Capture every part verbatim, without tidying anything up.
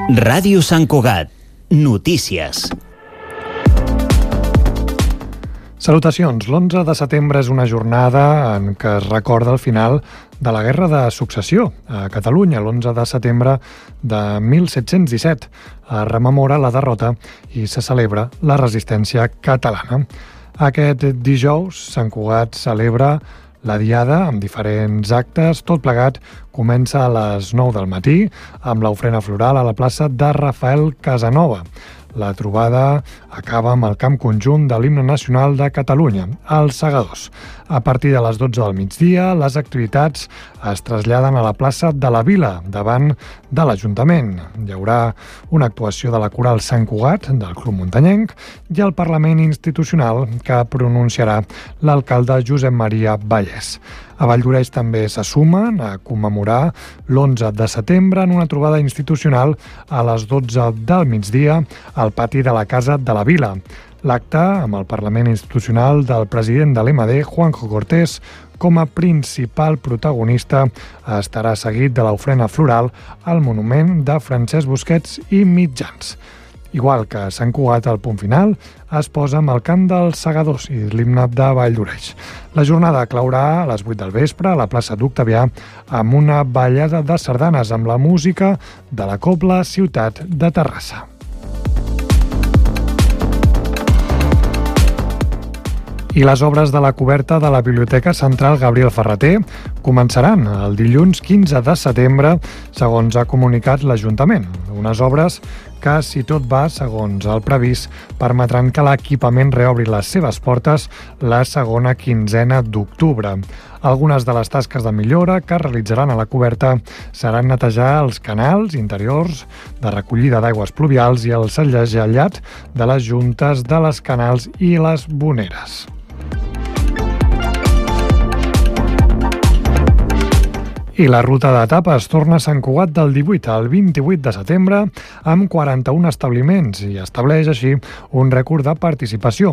Ràdio Sant Cugat. Notícies. Salutacions. L'onze de setembre és una jornada en què es recorda el final de la Guerra de Successió a Catalunya. L'onze de setembre de mil set-cents disset es rememora la derrota i se celebra la resistència catalana. Aquest dijous, Sant Cugat celebra la Diada amb diferents actes. Tot plegat comença a les nou del matí amb l'ofrena floral a la plaça de Rafael Casanova. La trobada acaba amb el camp conjunt de l'himne nacional de Catalunya, els Segadors. A partir de les dotze del migdia, les activitats es traslladen a la plaça de la Vila, davant de l'Ajuntament. Hi haurà una actuació de la Coral Sant Cugat, del Club Muntanyenc, i el Parlament Institucional, que pronunciarà l'alcalde Josep Maria Vallès. A Valldoreix també se sumen a commemorar l'onze de setembre en una trobada institucional a les dotze del migdia al pati de la Casa de la Vila. L'acte, amb el Parlament Institucional del president de l'M D, Juanjo Cortés, com a principal protagonista, estarà seguit de l'ofrena floral al monument de Francesc Busquets i Mitjans. Igual que a Sant Cugat, el punt final es posa amb el cant dels Segadors i l'himne de Valldoreix. La jornada claurà a les vuit del vespre a la plaça d'Octavià amb una ballada de sardanes amb la música de la Cobla Ciutat de Terrassa. I les obres de la coberta de la Biblioteca Central Gabriel Ferrater començaran el dilluns quinze de setembre, segons ha comunicat l'Ajuntament. Unes obres que, si tot va segons el previst, permetran que l'equipament reobri les seves portes la segona quinzena d'octubre. Algunes de les tasques de millora que realitzaran a la coberta seran netejar els canals interiors de recollida d'aigües pluvials i el segellat de les juntes de les canals i les voneres. I la ruta d'etapes torna a Sant Cugat del divuit al vint-i-vuit de setembre amb quaranta-un establiments i estableix així un rècord de participació.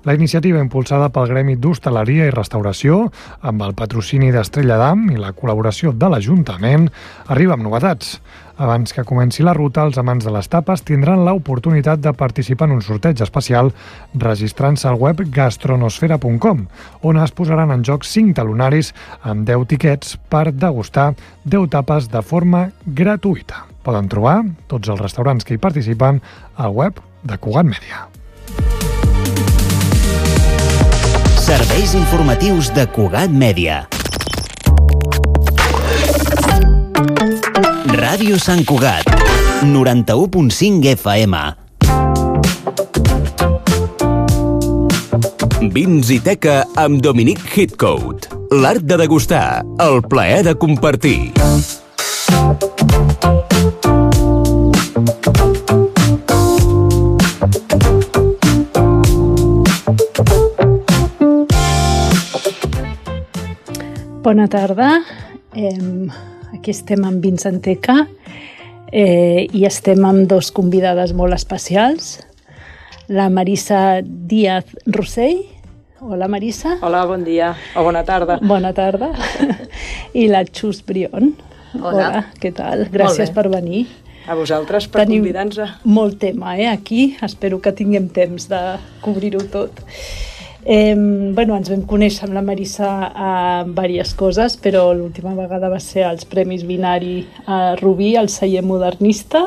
La iniciativa, impulsada pel Gremi d'Hostaleria i Restauració, amb el patrocini d'Estrella d'Am i la col·laboració de l'Ajuntament, arriba amb novetats. Abans que comenci la ruta, els amants de les tapes tindran l'oportunitat de participar en un sorteig especial registrant-se al web gastronosfera punt com, on es posaran en joc cinc talonaris amb deu tiquets per degustar deu tapes de forma gratuïta. Poden trobar tots els restaurants que hi participen al web de Cugat Mèdia. Serveis informatius de Cugat Mèdia. Ràdio Sant Cugat, noranta-u punt cinc F M. Vins i teca amb Dominic Hitcoat. L'art de degustar, el plaer de compartir. Bona tarda. Eh... Aquí estem amb Vins en Teca eh, i estem amb dos convidades molt especials. La Marisa Díaz Rossell. Hola, Marisa. Hola, bon dia. O bona tarda. Bona tarda. I la Xus Brion. Hola. Hola, què tal? Gràcies per venir. A vosaltres per convidar-nos. Tenim molt tema eh, aquí. Espero que tinguem temps de cobrir-ho tot. Eh, bueno, ens vam conèixer amb la Marisa a diverses coses, però l'última vegada va ser als Premis Binari a Rubí, al celler modernista,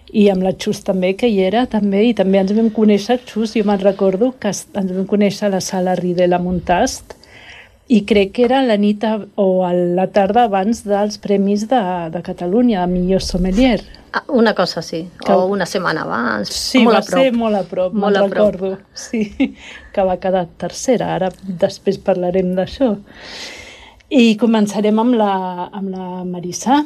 i amb la Xus també, que hi era, també, i també ens vam conèixer, Xus, jo me'n recordo que ens vam conèixer a la sala Ridel a Montast, i crec que era la nit a, o a la tarda abans dels Premis de, de Catalunya, de millor sommelier. Ah, una cosa sí, que... o una setmana abans. Sí, molt va a prop. ser molt a prop, molt me'n a prop. recordo. Sí, que va quedar tercera, ara després parlarem d'això. I començarem amb la, amb la Marisa,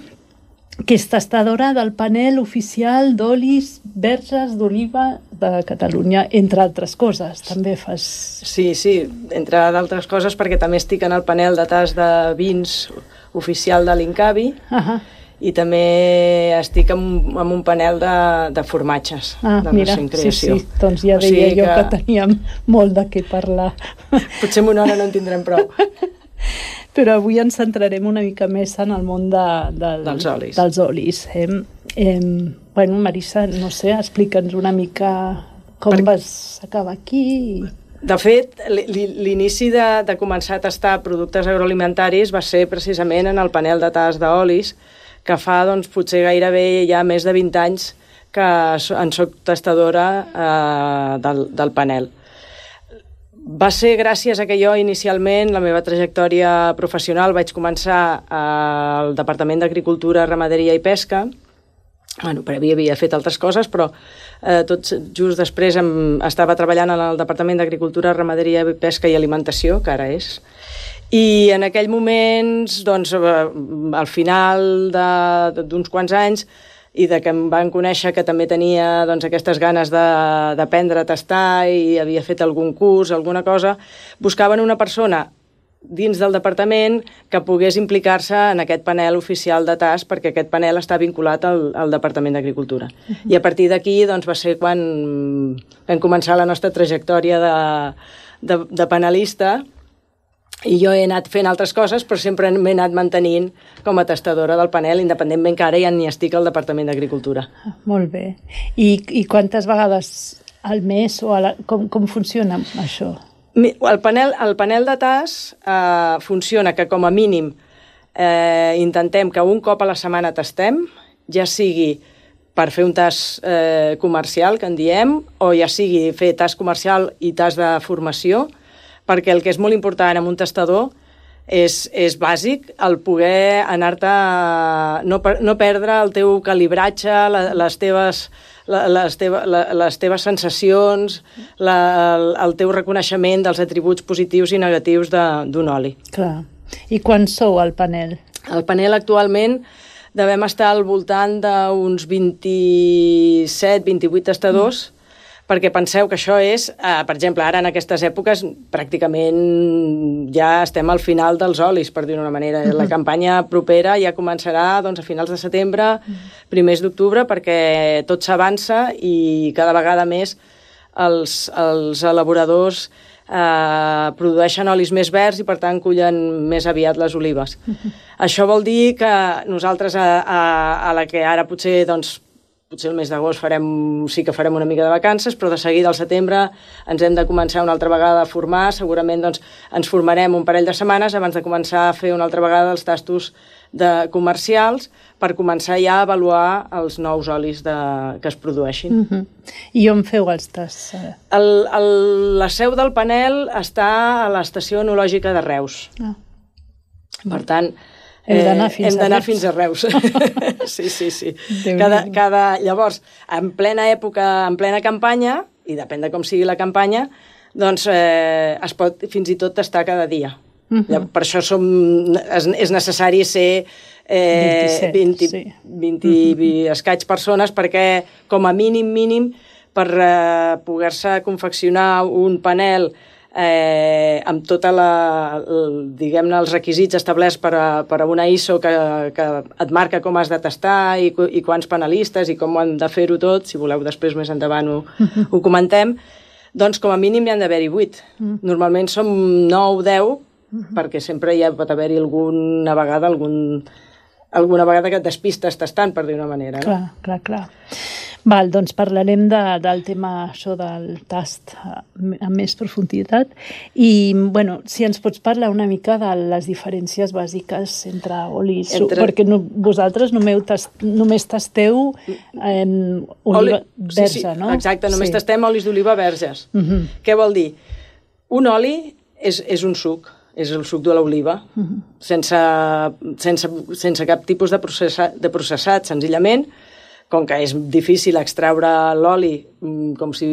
que és tastadora del panel oficial d'olis verges d'oliva de Catalunya, entre altres coses. També fas... Sí, sí, entre d'altres coses, perquè també estic en el panel de tas de vins oficial de l'Incavi, uh-huh. i també estic en, en un panel de, de formatges, ah, de mira, recent creació. Sí, sí, doncs ja deia o sigui jo que... que teníem molt de què parlar. Potser en una hora no en tindrem prou. Però avui ens centrarem una mica més en el món de, del, dels olis. Dels olis eh? Eh, bueno, Marissa, no sé, explica'ns una mica com per... vas acabar aquí. De fet, l'inici de, de començar a tastar productes agroalimentaris va ser precisament en el panel de tast d'olis, que fa, doncs, potser gairebé ja més de vint anys que en soc tastadora eh, del, del panel. Va ser gràcies a que jo inicialment, la meva trajectòria professional, vaig començar al Departament d'Agricultura, Ramaderia i Pesca. Bueno, previ havia fet altres coses, però eh, tot just després em, estava treballant en el Departament d'Agricultura, Ramaderia i Pesca i Alimentació, que ara és. I en aquell moment, doncs, al final d'uns quants anys, i de que em van conèixer que també tenia, doncs, aquestes ganes d'aprendre a tastar i havia fet algun curs, alguna cosa, buscaven una persona dins del departament que pogués implicar-se en aquest panel oficial de tast, perquè aquest panel està vinculat al, al Departament d'Agricultura. Uh-huh. I a partir d'aquí, doncs, va ser quan vam començar la nostra trajectòria de, de, de panelista, i jo he anat fent altres coses, però sempre m'he anat mantenint com a tastadora del panel, independentment que ara ja ni estic al Departament d'Agricultura. Molt bé. I, i quantes vegades al mes o a la, com, com funciona això? El panel, el panel de tast eh, funciona que com a mínim eh, intentem que un cop a la setmana tastem, ja sigui per fer un tast eh, comercial, que en diem, o ja sigui fer tast comercial i tast de formació, perquè el que és molt important en un tastador és, és bàsic el poder anar-te, no, no perdre el teu calibratge, la, les teves... Les, teva, les teves sensacions, la, el, el teu reconeixement dels atributs positius i negatius d'un oli. Clar. I quan sou al panel? El panel actualment devem estar al voltant d'uns vint-i-set vint-i-vuit tastadors, mm. perquè penseu que això és, eh, per exemple, ara en aquestes èpoques pràcticament ja estem al final dels olis, per dir-ho d'una manera. La campanya propera ja començarà, doncs, a finals de setembre, primers d'octubre, perquè tot s'avança i cada vegada més els, els elaboradors eh, produeixen olis més verds i, per tant, cullen més aviat les olives. Això vol dir que nosaltres, a, a, a la que ara potser, doncs, potser el mes d'agost farem, sí que farem una mica de vacances, però de seguida al setembre ens hem de començar una altra vegada a formar. Segurament, doncs, ens formarem un parell de setmanes abans de començar a fer una altra vegada els tastos de comercials per començar ja a avaluar els nous olis de, que es produeixin. Uh-huh. I on feu els tasts? El, el, la seu del panel està a l'estació enològica de Reus. Ah. Per tant, hem d'anar fins, eh, fins a Reus. Sí, sí, sí. Cada, cada, llavors, en plena època, en plena campanya, i depèn de com sigui la campanya, doncs eh, es pot fins i tot tastar cada dia. Uh-huh. Per això som, és, és necessari ser eh, vint, sí. vint uh-huh. escaig persones, perquè com a mínim, mínim, per eh, poder-se confeccionar un panel Eh, amb tota la, diguem-ne, els requisits establerts per a, per a una I S O que, que et marca com has de tastar i, i quants panelistes i com han de fer-ho tot, si voleu després més endavant ho, uh-huh. ho comentem, doncs com a mínim hi han d'haver-hi vuit. Uh-huh. Normalment som nou, deu, uh-huh. perquè sempre hi ha, pot haver-hi alguna vegada, algun, alguna vegada que et despistes tastant, per dir una manera. Clar, no? clar, clar. Val, doncs parlarem de, del tema això del tast amb més profunditat i, bueno, si ens pots parlar una mica de les diferències bàsiques entre olis, entre... perquè no, vosaltres només, tast, només tasteu eh, oliva oli... verge, sí, sí, no? Exacte, només sí. tastem olis d'oliva verges. Uh-huh. Què vol dir? Un oli és, és un suc, és el suc de l'oliva, uh-huh. sense, sense, sense cap tipus de, processa, de processat, senzillament. Com que és difícil extraure l'oli com si,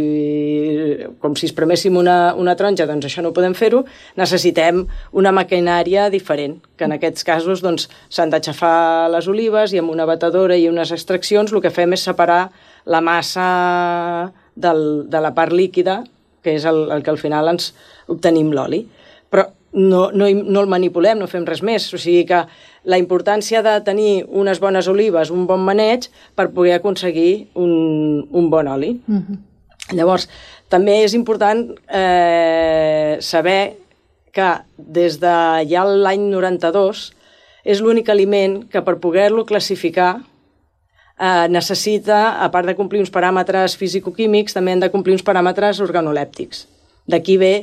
com si es preméssim una, una taronja, doncs això no podem fer-ho, necessitem una maquinària diferent, que en aquests casos doncs, s'han d'aixafar les olives i amb una batedora i unes extraccions el que fem és separar la massa del, de la part líquida, que és el, el que al final ens obtenim l'oli. Però no, no, no el manipulem, no fem res més, o sigui que la importància de tenir unes bones olives, un bon maneig, per poder aconseguir un, un bon oli. Uh-huh. Llavors, també és important eh, saber que des de ja l'any noranta-dos és l'únic aliment que per poder-lo classificar eh, necessita, a part de complir uns paràmetres fisicoquímics, també han de complir uns paràmetres organolèptics. D'aquí ve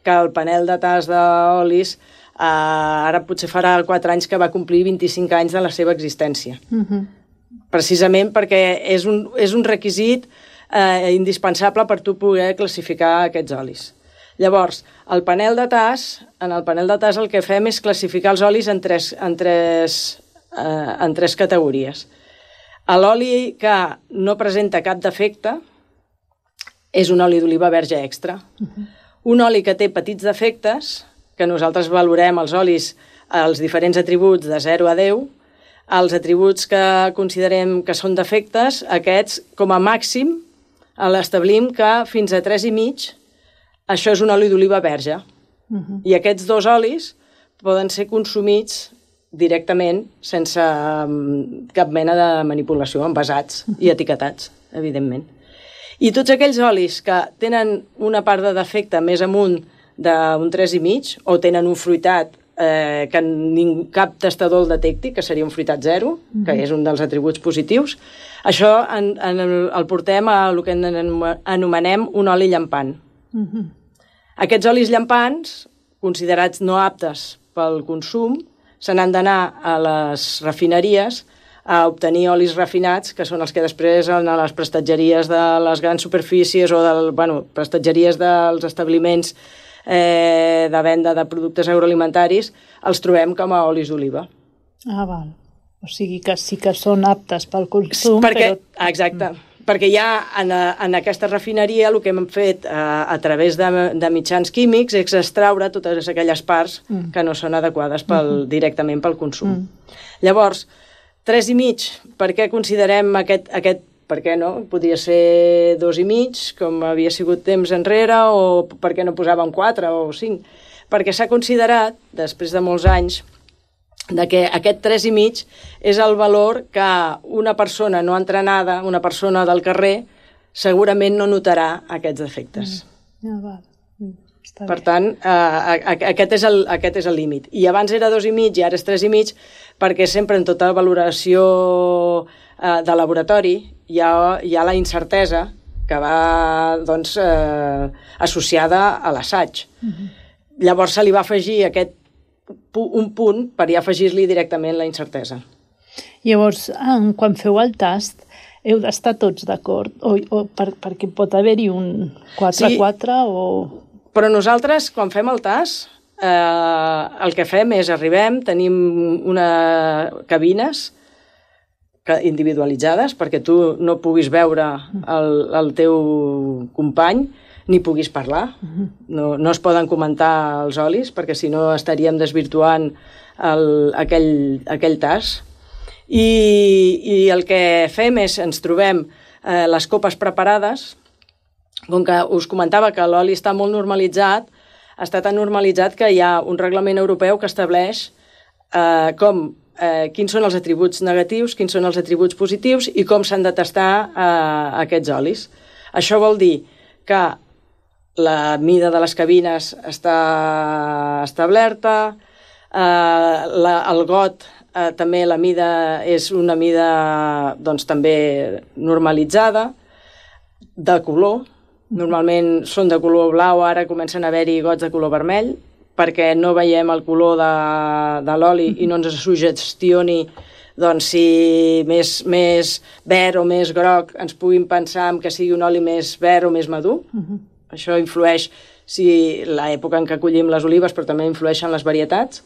que el panel de tast d'olis eh, ara potser farà quatre anys que va complir vint-i-cinc anys de la seva existència. Uh-huh. Precisament perquè és un, és un requisit eh, indispensable per tu poder classificar aquests olis. Llavors, el panel de tast, en el panel de tast el que fem és classificar els olis en tres, en tres, eh, en tres categories. L'oli que no presenta cap defecte és un oli d'oliva verge extra. Uh-huh. Un oli que té petits defectes, que nosaltres valorem els olis, els diferents atributs de zero a deu, els atributs que considerem que són defectes, aquests, com a màxim, l'establim que fins a tres i mig, això és un oli d'oliva verge. Uh-huh. I aquests dos olis poden ser consumits directament sense um, cap mena de manipulació, envasats uh-huh. i etiquetats, evidentment. I tots aquells olis que tenen una part de defecte més amunt d'un tres i mig o tenen un fruitat eh, que ning, cap tastador el detecti, que seria un fruitat zero, uh-huh. que és un dels atributs positius, això en, en el, el portem a el que anomenem un oli llampant. Uh-huh. Aquests olis llampants, considerats no aptes pel consum, se n'han d'anar a les refineries a obtenir olis refinats, que són els que després a les prestatgeries de les grans superfícies o del, bueno, prestatgeries dels establiments eh, de venda de productes agroalimentaris, els trobem com a olis d'oliva. Ah, val. O sigui que sí que són aptes pel consum, perquè, però... Exacte. Mm. Perquè ja en, en aquesta refineria el que hem fet a, a través de, de mitjans químics és extraure totes aquelles parts mm. que no són adequades pel, mm-hmm. directament pel consum. Mm. Llavors, tres i mig, per què considerem aquest, aquest, per què no? Podria ser dos i mig, com havia sigut temps enrere, o per què no posàvem quatre o cinc? Perquè s'ha considerat, després de molts anys, de que aquest tres i mig és el valor que una persona no entrenada, una persona del carrer, segurament no notarà aquests defectes. Mm. Ja, val. Mm. Està per bé. tant, eh, aquest és el, aquest és el límit. I abans era dos i mig i ara és tres i mig, perquè sempre en tota valoració eh, de laboratori hi ha, hi ha la incertesa que va doncs, eh, associada a l'assaig. Mm-hmm. Llavors se li va afegir aquest un punt per ja afegir-li directament la incertesa. Llavors, quan feu el tast, heu d'estar tots d'acord? O, o per, perquè pot haver-hi un quatre a quatre sí, o... Però nosaltres, quan fem el tast, eh, el que fem és arribem, tenim una cabines individualitzades perquè tu no puguis veure el, el teu company ni puguis parlar. Uh-huh. No, no es poden comentar els olis, perquè si no estaríem desvirtuant el, aquell, aquell tast. I, I el que fem és, ens trobem eh, les copes preparades, com que us comentava que l'oli està molt normalitzat, està tan normalitzat que hi ha un reglament europeu que estableix eh, com, eh, quins són els atributs negatius, quins són els atributs positius i com s'han de tastar eh, aquests olis. Això vol dir que la mida de les cabines està establerta, eh, la, el got eh, també la mida és una mida doncs, també normalitzada, de color, normalment són de color blau, ara comencen a haver-hi gots de color vermell, perquè no veiem el color de, de l'oli i no ens suggestioni doncs, si més, més verd o més groc ens puguin pensar que sigui un oli més verd o més madur. Uh-huh. Això influeix si l'època en què collim les olives, però també influeixen les varietats.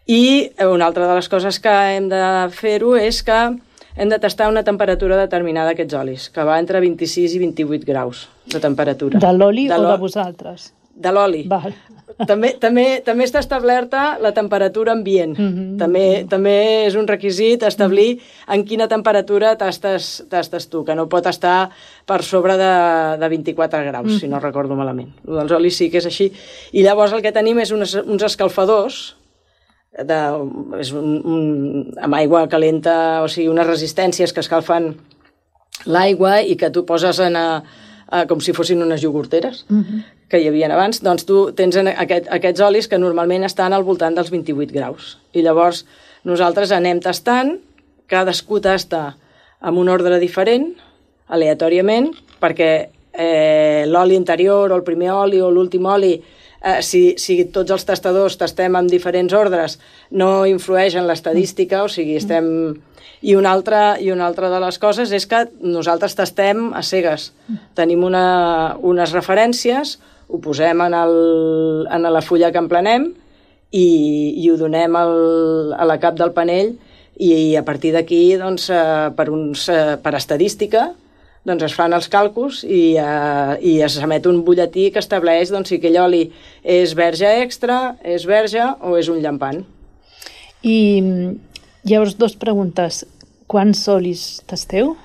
I una altra de les coses que hem de fer-ho és que hem de tastar una temperatura determinada d'aquests olis, que va entre vint-i-sis i vint-i-vuit graus de temperatura. De l'oli o de vosaltres? De l'oli. Val. També, també, també està establerta la temperatura ambient. Mm-hmm. També, també és un requisit establir en quina temperatura tastes, tastes tu, que no pot estar per sobre de, de vint-i-quatre graus, mm-hmm. si no recordo malament. El dels olis sí que és així. I llavors el que tenim és unes, uns escalfadors de, és un, un, amb aigua calenta, o sigui, unes resistències que escalfen l'aigua i que tu poses en a, a, com si fossin unes iogurteres. Mm-hmm. que hi havia abans, doncs tu tens aquest, aquests olis que normalment estan al voltant dels vint-i-vuit graus. I llavors nosaltres anem tastant, cadascú tasta amb un ordre diferent, aleatòriament, perquè eh, l'oli interior o el primer oli o l'últim oli, eh, si, si tots els tastadors tastem amb diferents ordres, no influeix en l'estadística, o sigui, estem... I una, altra, I una altra de les coses és que nosaltres tastem a cegues. Tenim una, unes referències, ho posem en, el, en la fulla que emplenem i, i ho donem al, a la cap del panell i, i a partir d'aquí, doncs, eh, per, uns, eh, per estadística, doncs es fan els càlculs i, eh, i es emet un butlletí que estableix doncs, si aquell oli és verge extra, és verge o és un llampant. I llavors, dues preguntes. Quants olis tasteu?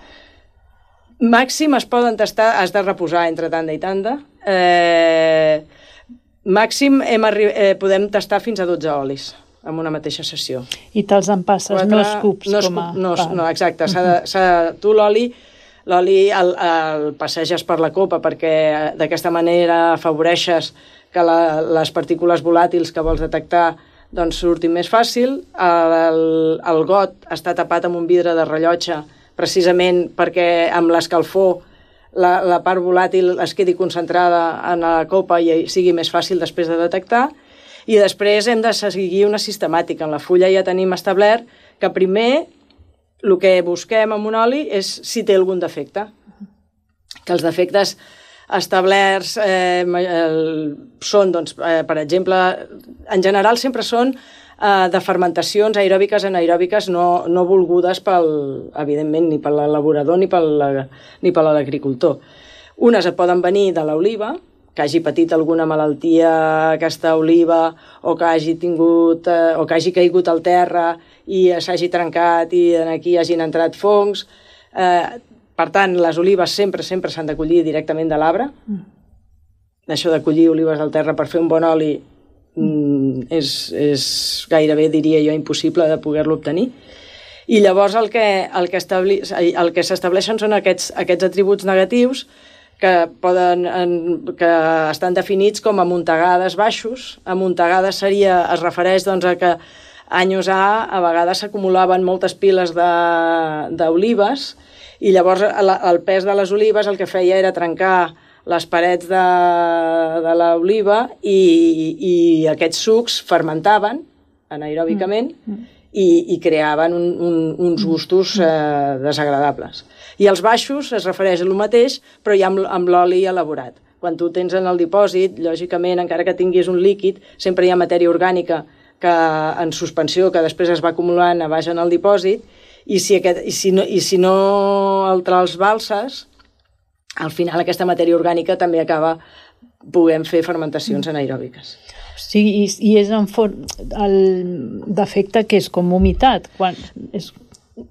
Màxim es poden tastar, has de reposar entre tanda i tanda. Eh, màxim hem eh, podem tastar fins a dotze olis en una mateixa sessió. I te'ls empasses, Quatre, no escups? No, com a... no, no, exacte. S'ha de, s'ha de, tu l'oli l'oli el, el passeges per la copa perquè d'aquesta manera afavoreixes que la, les partícules volàtils que vols detectar doncs surtin més fàcil. El, el, el got està tapat amb un vidre de rellotge precisament perquè amb l'escalfor la, la part volàtil es quedi concentrada en la copa i sigui més fàcil després de detectar. I després hem de seguir una sistemàtica. En la fulla ja tenim establert que primer el que busquem en un oli és si té algun defecte. Que els defectes establerts eh, són, doncs, eh, per exemple, en general sempre són eh, de fermentacions aeròbiques anaeròbiques no, no volgudes, pel, evidentment, ni per l'elaborador ni per l'agricultor. Unes et poden venir de l'oliva, que hagi patit alguna malaltia aquesta oliva o que hagi tingut eh, o que hagi caigut al terra i s'hagi trencat i aquí hagin entrat fongs. Eh, per tant, les olives sempre sempre s'han de collir directament de l'arbre. Mm. Això de collir olives al terra per fer un bon oli mm, és, és gairebé, diria jo, impossible de poder-lo obtenir. I llavors el que, el que, establi, el que s'estableixen són aquests, aquests atributs negatius que, poden, que estan definits com amuntegades baixos. Amuntegades seria, es refereix doncs, a que anys A a vegades s'acumulaven moltes piles d'olives i llavors el pes de les olives el que feia era trencar les parets de, de l'oliva i, i aquests sucs fermentaven anaeròbicament mm. i, i creaven un, un, uns gustos eh, desagradables. I els baixos es refereix a lo mateix, però ja amb, amb l'oli elaborat. Quan tu tens en el dipòsit, lògicament, encara que tinguis un líquid, sempre hi ha matèria orgànica que, en suspensió que després es va acumulant a baix en el dipòsit i si, aquest, i si, no, i si no el trasbalses, al final aquesta matèria orgànica també acaba podent fer fermentacions anaeròbiques. Sí, i, i és en for... el defecte que és com humitat. Quan és...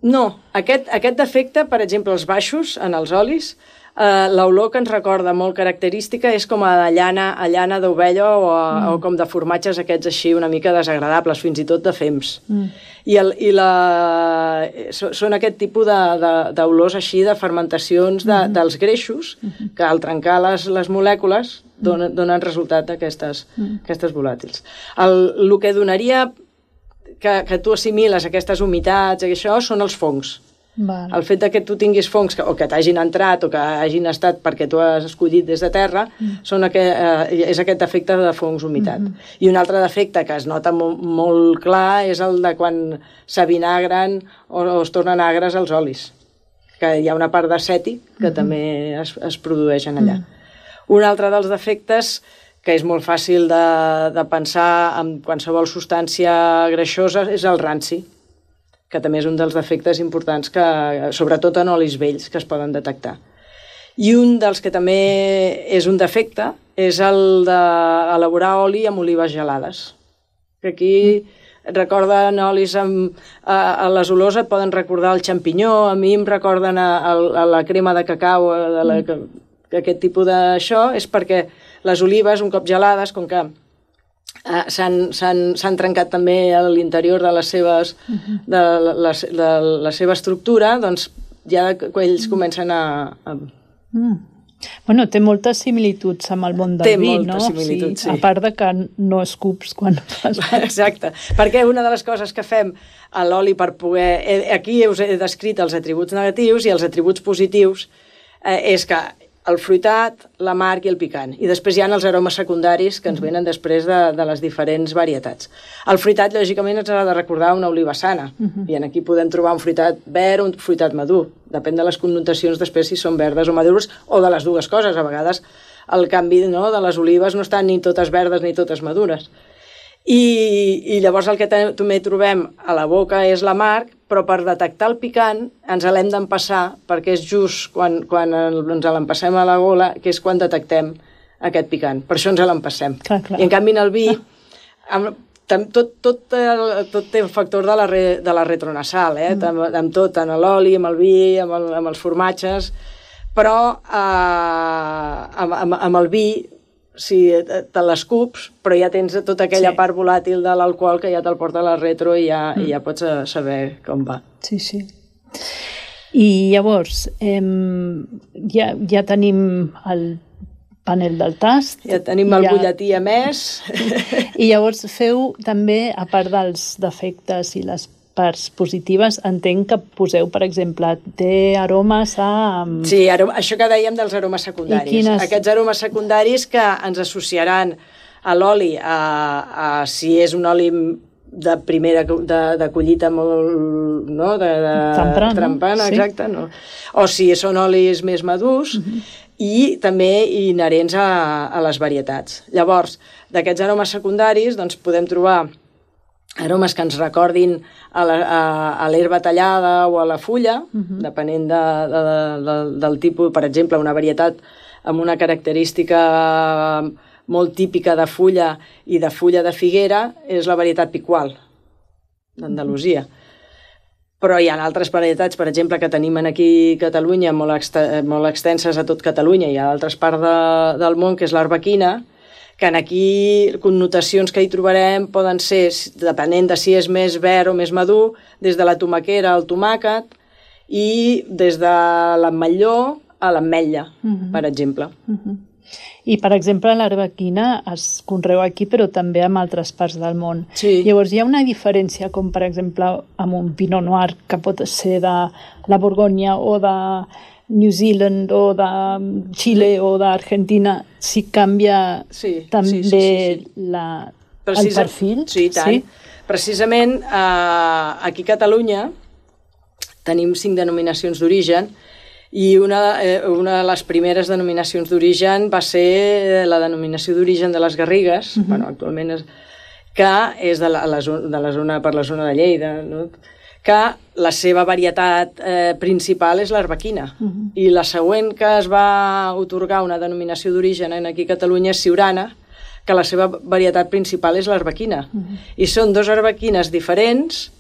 No, aquest, aquest defecte, per exemple, els baixos en els olis, eh, l'olor que ens recorda molt característica és com a llana, a llana d'ovella o, a, mm. o com de formatges aquests així una mica desagradables, fins i tot de fems. Mm. I, el, i la, són aquest tipus d'olors així de fermentacions de, mm. dels greixos mm. que al trencar les, les molècules donen, donen resultat d'aquestes mm. aquestes volàtils. El, el que donaria que, que tu assimiles aquestes humitats i això són els fongs. Val. El fet de que tu tinguis fongs que, o que t'hagin entrat o que hagin estat perquè tu has escollit des de terra mm. són aquest, eh, és aquest defecte de fongs humitat. Mm -hmm. I un altre defecte que es nota molt, molt clar és el de quan s'avinagren o, o es tornen agres els olis, que hi ha una part d'acètic que mm -hmm. també es, es produeix en allà. Mm. Un altre dels defectes que és molt fàcil de, de pensar en qualsevol substància greixosa és el ranci, que també és un dels defectes importants, que, sobretot en olis vells, que es poden detectar. I un dels que també és un defecte és el d'elaborar oli amb olives gelades. Que aquí et recorden olis amb... A, a les olors et poden recordar el xampinyó, a mi em recorden a, a, a la crema de cacau, de la, que, aquest tipus d'això, és perquè les olives, un cop gelades, com que Uh, s'han trencat també a l'interior de, les seves, uh-huh. de, la, de, de la seva estructura, doncs ja ells comencen a, a, Bueno, té moltes similituds amb el món del té vi, no? Té moltes similituds, sí. A part de que no escups quan fas... Exacte, perquè una de les coses que fem a l'oli per poder... Aquí us he descrit els atributs negatius i els atributs positius eh, és que el fruitat, l'amarg i el picant. I després hi ha els aromes secundaris que ens venen després de, de les diferents varietats. El fruitat, lògicament, ens ha de recordar una oliva sana. Uh-huh. I aquí podem trobar un fruitat verd o un fruitat madur. Depèn de les connotacions després si són verdes o madures, o de les dues coses. A vegades el canvi, no, de les olives no estan ni totes verdes ni totes madures. I, i llavors el que també trobem a la boca és l'amarg, però per detectar el picant ens l'hem d'empassar, perquè és just quan, quan ens l'empassem a la gola, que és quan detectem aquest picant. Per això ens l'empassem. I en canvi en el vi, amb, tot, tot, el, tot té el factor de la, re, de la retronasal, eh? mm. amb, amb tot, tant l'oli, amb el vi, amb, el, amb els formatges, però eh, amb, amb, amb el vi, si te l'escups, però ja tens tota aquella sí. part volàtil de l'alcohol que ja te'l porta a la retro i ja, mm. i ja pots saber com va. Sí, sí. I llavors, eh, ja, ja tenim el panel del tast. Ja tenim el ja... butlletí a més. I llavors feu també, a part dels defectes i les parts positives, entenc que poseu, per exemple, té aromes a... Sí, aroma, això que dèiem dels aromes secundaris. Quines... Aquests aromes secundaris que ens associaran a l'oli, a, a si és un oli de primera, de, de collita molt... No? De, de Trempana, trempana, sí. Exacte. No? O si són olis més madurs, uh-huh. i també inherents a, a les varietats. Llavors, d'aquests aromes secundaris, doncs podem trobar aromes que ens recordin a l'herba tallada o a la fulla, uh-huh. depenent de, de, de, del tipus, per exemple, una varietat amb una característica molt típica de fulla i de fulla de figuera és la varietat Picual, d'Andalusia. Però hi ha altres varietats, per exemple, que tenim aquí a Catalunya, molt, ext molt extenses a tot Catalunya i a altres parts de, del món, que és l'arbequina, que aquí connotacions que hi trobarem poden ser, depenent de si és més verd o més madur, des de la tomaquera al tomàquet i des de l'ametlló a l'ametlla, uh-huh. per exemple. Uh-huh. I, per exemple, l'arbequina es conreu aquí, però també en altres parts del món. Sí. Llavors, hi ha una diferència, com per exemple amb un Pinot Noir, que pot ser de la Borgonya o de New Zealand o de Xile o d'Argentina, si canvia sí, també sí, sí, sí, sí. La, Precisa, el perfil? Sí, tant. Sí? Precisament eh, aquí a Catalunya tenim cinc denominacions d'origen i una, eh, una de les primeres denominacions d'origen va ser la denominació d'origen de les Garrigues, uh-huh. bueno, actualment és, que és de la, la, de la zona, per la zona de Lleida, no? Que la seva varietat eh, principal és l'arbequina. Uh-huh. I la següent que es va otorgar una denominació d'origen aquí a Catalunya és Siurana, que la seva varietat principal és l'arbequina. Uh-huh. I són dos arbequines diferents,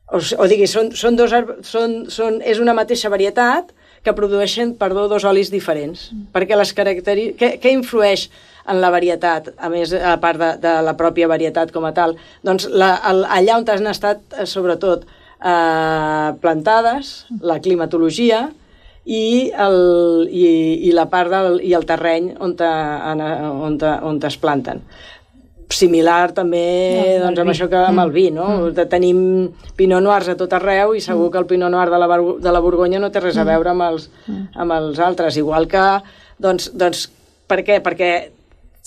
o, o digui, són, són dos, són, són, és una mateixa varietat que produeixen, perdó, dos olis diferents. Uh-huh. Perquè les característiques... Què, què influeix en la varietat, a més, a part de, de la pròpia varietat com a tal? Doncs la, el, allà on han estat, sobretot, eh, plantades, la climatologia i el, i, i la part del, i el terreny on, te, on, te, on es planten. Similar també no, doncs, amb això que amb el vi, no? Mm. Tenim Pinot Noirs a tot arreu i segur mm. que el Pinot Noir de la, de la Borgonya no té res a veure amb els, amb els altres. Igual que, doncs, doncs per què? Perquè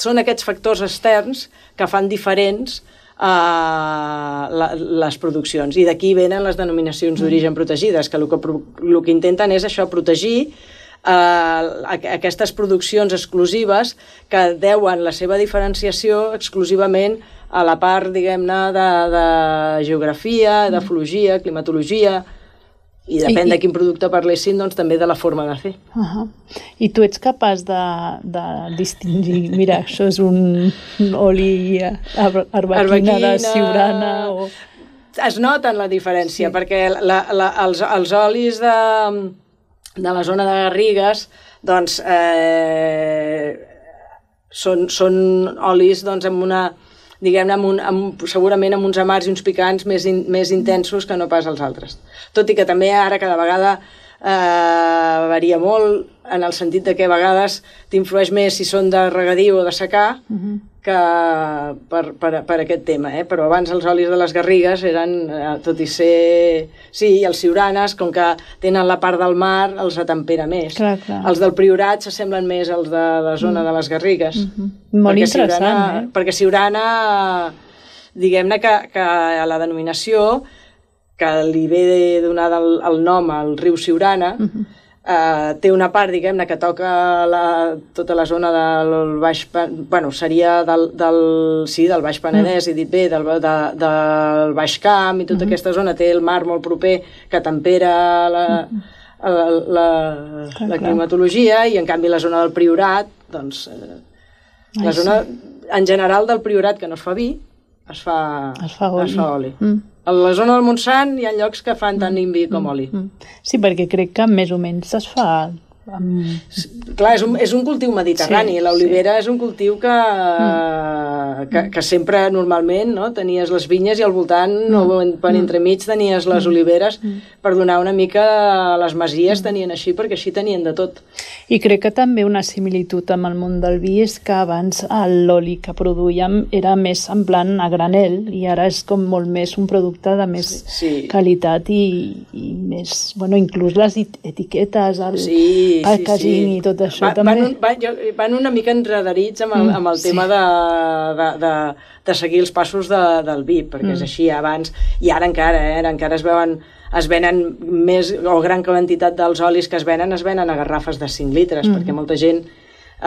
són aquests factors externs que fan diferents uh, la, les produccions. I d'aquí venen les denominacions d'origen protegides, que el que, el que intenten és això, protegir uh, aquestes produccions exclusives que deuen la seva diferenciació exclusivament a la part, diguem-ne, de, de geografia, d'efologia, climatologia, i depèn I, de quin producte parlessin, doncs també de la forma de fer. Uh -huh. I tu ets capaç de, de distingir, mira, això és un, un oli arbequina de Siurana o... Es noten la diferència, sí. perquè la, la, els, els olis de, de la zona de Garrigues doncs eh, són, són olis doncs amb una... diguem-ne, amb un, amb, segurament amb uns amars i uns picants més, in, més intensos que no pas els altres. Tot i que també ara cada vegada eh, varia molt en el sentit de que a vegades t'influeix més si són de regadiu o de secà uh-huh. que per, per, per aquest tema, eh? Però abans els olis de les garrigues eren, eh, tot i ser... Sí, i els siuranes, com que tenen la part del mar, els atempera més. Clar, clar. Els del Priorat s'assemblen més als de la zona mm. de les garrigues. Mm-hmm. Molt perquè interessant, siurana, eh? Perquè siurana, diguem-ne que, que a la denominació, que li ve donada el, el nom al riu Siurana, mm-hmm. Uh, té una part, diguem-ne, que toca la, tota la zona del Baix... Bueno, seria del, del, sí, del Baix Penedès, mm. he dit bé, del, de, del Baix Camp i tota mm-hmm. aquesta zona. Té el mar molt proper que tempera la, mm-hmm. la, la, clar, la climatologia i, en canvi, la zona del Priorat, doncs... Eh, Ai, la zona, sí. en general, del Priorat, que no es fa vi, es fa, es fa oli. Es fa oli. Mm. A la zona del Montsant hi ha llocs que fan tant vi com oli. Sí, perquè crec que més o menys es fa... Amb... Clar, és un, és un cultiu mediterrani. Sí, l'olivera sí. és un cultiu que, mm. que, que sempre, normalment, no? Tenies les vinyes i al voltant, mm. o per entremig, tenies les oliveres mm. per donar una mica a les masies, tenien així, perquè així tenien de tot. I crec que també una similitud amb el món del vi és que abans l'oli que produïem era més semblant a granel i ara és com molt més un producte de més sí, sí. qualitat i, i més, bueno, inclús les etiquetes, el sí, packaging sí, sí. i tot això va, també. Van, van, van una mica enredarits amb el, amb el tema sí. de, de, de, de seguir els passos de, del vi, perquè mm. és així abans, i ara encara, eh, ara encara es veuen es venen més, o gran quantitat dels olis que es venen, es venen a garrafes de cinc litres, mm. perquè molta gent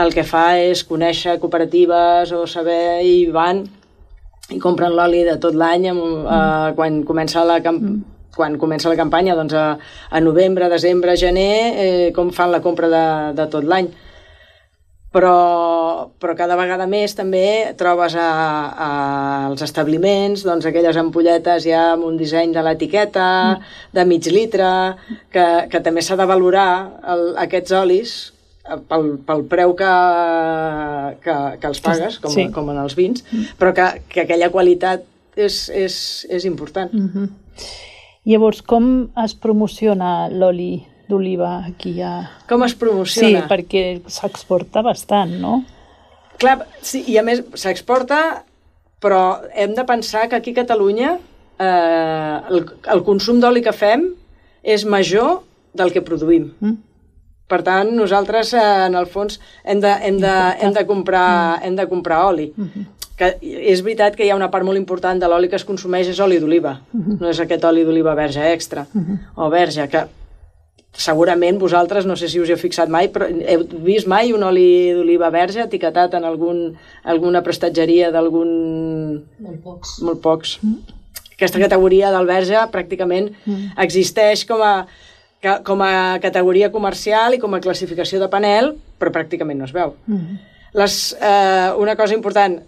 el que fa és conèixer cooperatives o saber, i van i compren l'oli de tot l'any mm. eh, quan comença la campanya, mm. quan comença la campanya, doncs a, a novembre, desembre, gener, eh, com fan la compra de, de tot l'any. Però, però cada vegada més també trobes a, a, als establiments doncs, aquelles ampolletes ja amb un disseny de l'etiqueta, mm. de mig litre, que, que també s'ha de valorar el, aquests olis pel, pel preu que, que, que els pagues, com, sí. com en els vins, mm. però que, que aquella qualitat és, és, és important. Mm-hmm. Llavors, com es promociona l'oli d'oliva aquí a... Com es promociona? Sí, perquè s'exporta bastant, no? Clar, sí, i a més s'exporta, però hem de pensar que aquí a Catalunya eh, el, el consum d'oli que fem és major del que produïm. Mm. Per tant, nosaltres, eh, en el fons, hem de, hem de, hem de, comprar, mm. hem de comprar oli. Mm-hmm. Que és veritat que hi ha una part molt important de l'oli que es consumeix és oli d'oliva. Mm-hmm. No és aquest oli d'oliva verge extra, mm-hmm. o verge, que segurament vosaltres, no sé si us hi heu fixat mai, però heu vist mai un oli d'oliva verge etiquetat en algun, alguna prestatgeria d'algun... Molt pocs. Molt pocs. Mm. Aquesta categoria del verge pràcticament mm. existeix com a, com a categoria comercial i com a classificació de panel, però pràcticament no es veu. Mm. Les, eh, una cosa important,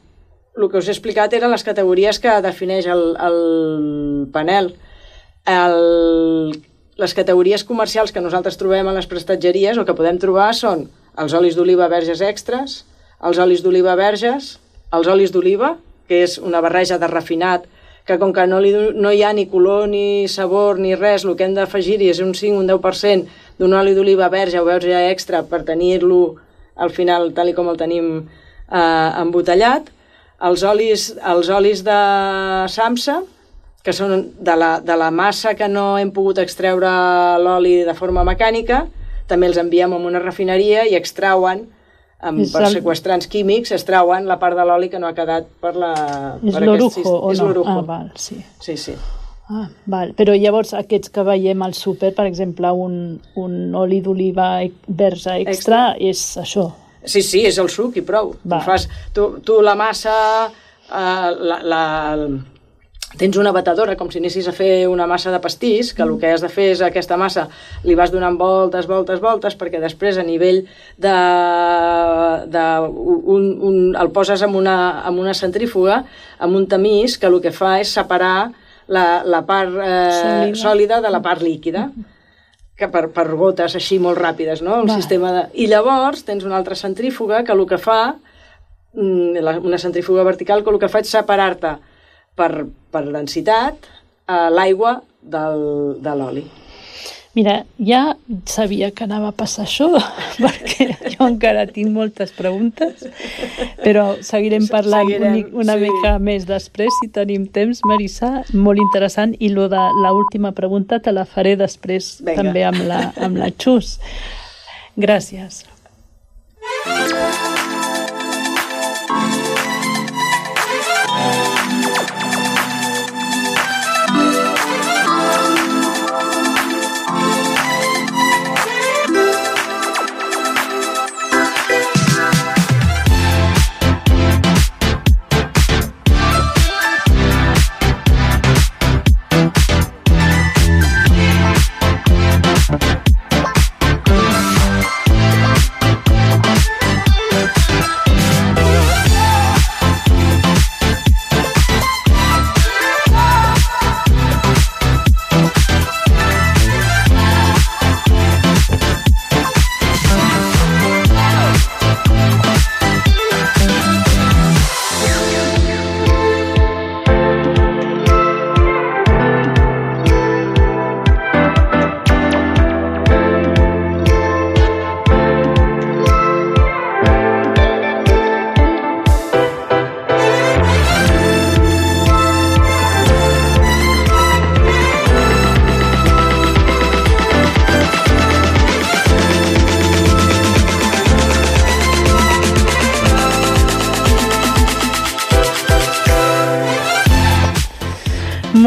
el que us he explicat eren les categories que defineix el, el panel. El... Les categories comercials que nosaltres trobem a les prestatgeries o que podem trobar són els olis d'oliva verges extras, els olis d'oliva verges, els olis d'oliva, que és una barreja de refinat, que com que no, li, no hi ha ni color, ni sabor, ni res, el que hem d'afegir-hi és un cinc o un deu per cent d'un oli d'oliva verge o verge extra per tenir-lo al final tal i com el tenim eh, embotellat. Els olis, els olis de Samsa, que són de la, de la massa que no hem pogut extreure l'oli de forma mecànica, també els enviem a una refineria i extrauen, amb, per el... seqüestrants químics, extrauen la part de l'oli que no ha quedat per la... És per l'orujo aquest... o és no? l'orujo. Ah, val, sí. Sí, sí. Ah, val. Però llavors aquests que veiem al súper, per exemple, un, un oli d'oliva verge extra, extra, és això? Sí, sí, és el suc i prou. Tu, fas, tu, tu la massa... Eh, la, la, tens una batedora, com si anessis a fer una massa de pastís, que el que has de fer és aquesta massa, li vas donant voltes, voltes, voltes, perquè després a nivell de... de un, un, el poses en una, en una centrífuga, amb un tamís, que el que fa és separar la, la part eh, sòlida. sòlida de la part líquida, que per, per gotes així molt ràpides, no? Un sistema de... I llavors tens una altra centrífuga que el que fa, una centrífuga vertical, que el que fa és separar-te per, per densitat a l'aigua del, de l'oli. Mira, ja sabia que anava a passar això, perquè jo encara tinc moltes preguntes, però seguirem parlant seguirem, una sí. mica més després, si tenim temps, Marissa, molt interessant, i lo de l'última pregunta te la faré després Venga. també amb la, amb la Xus. Gràcies.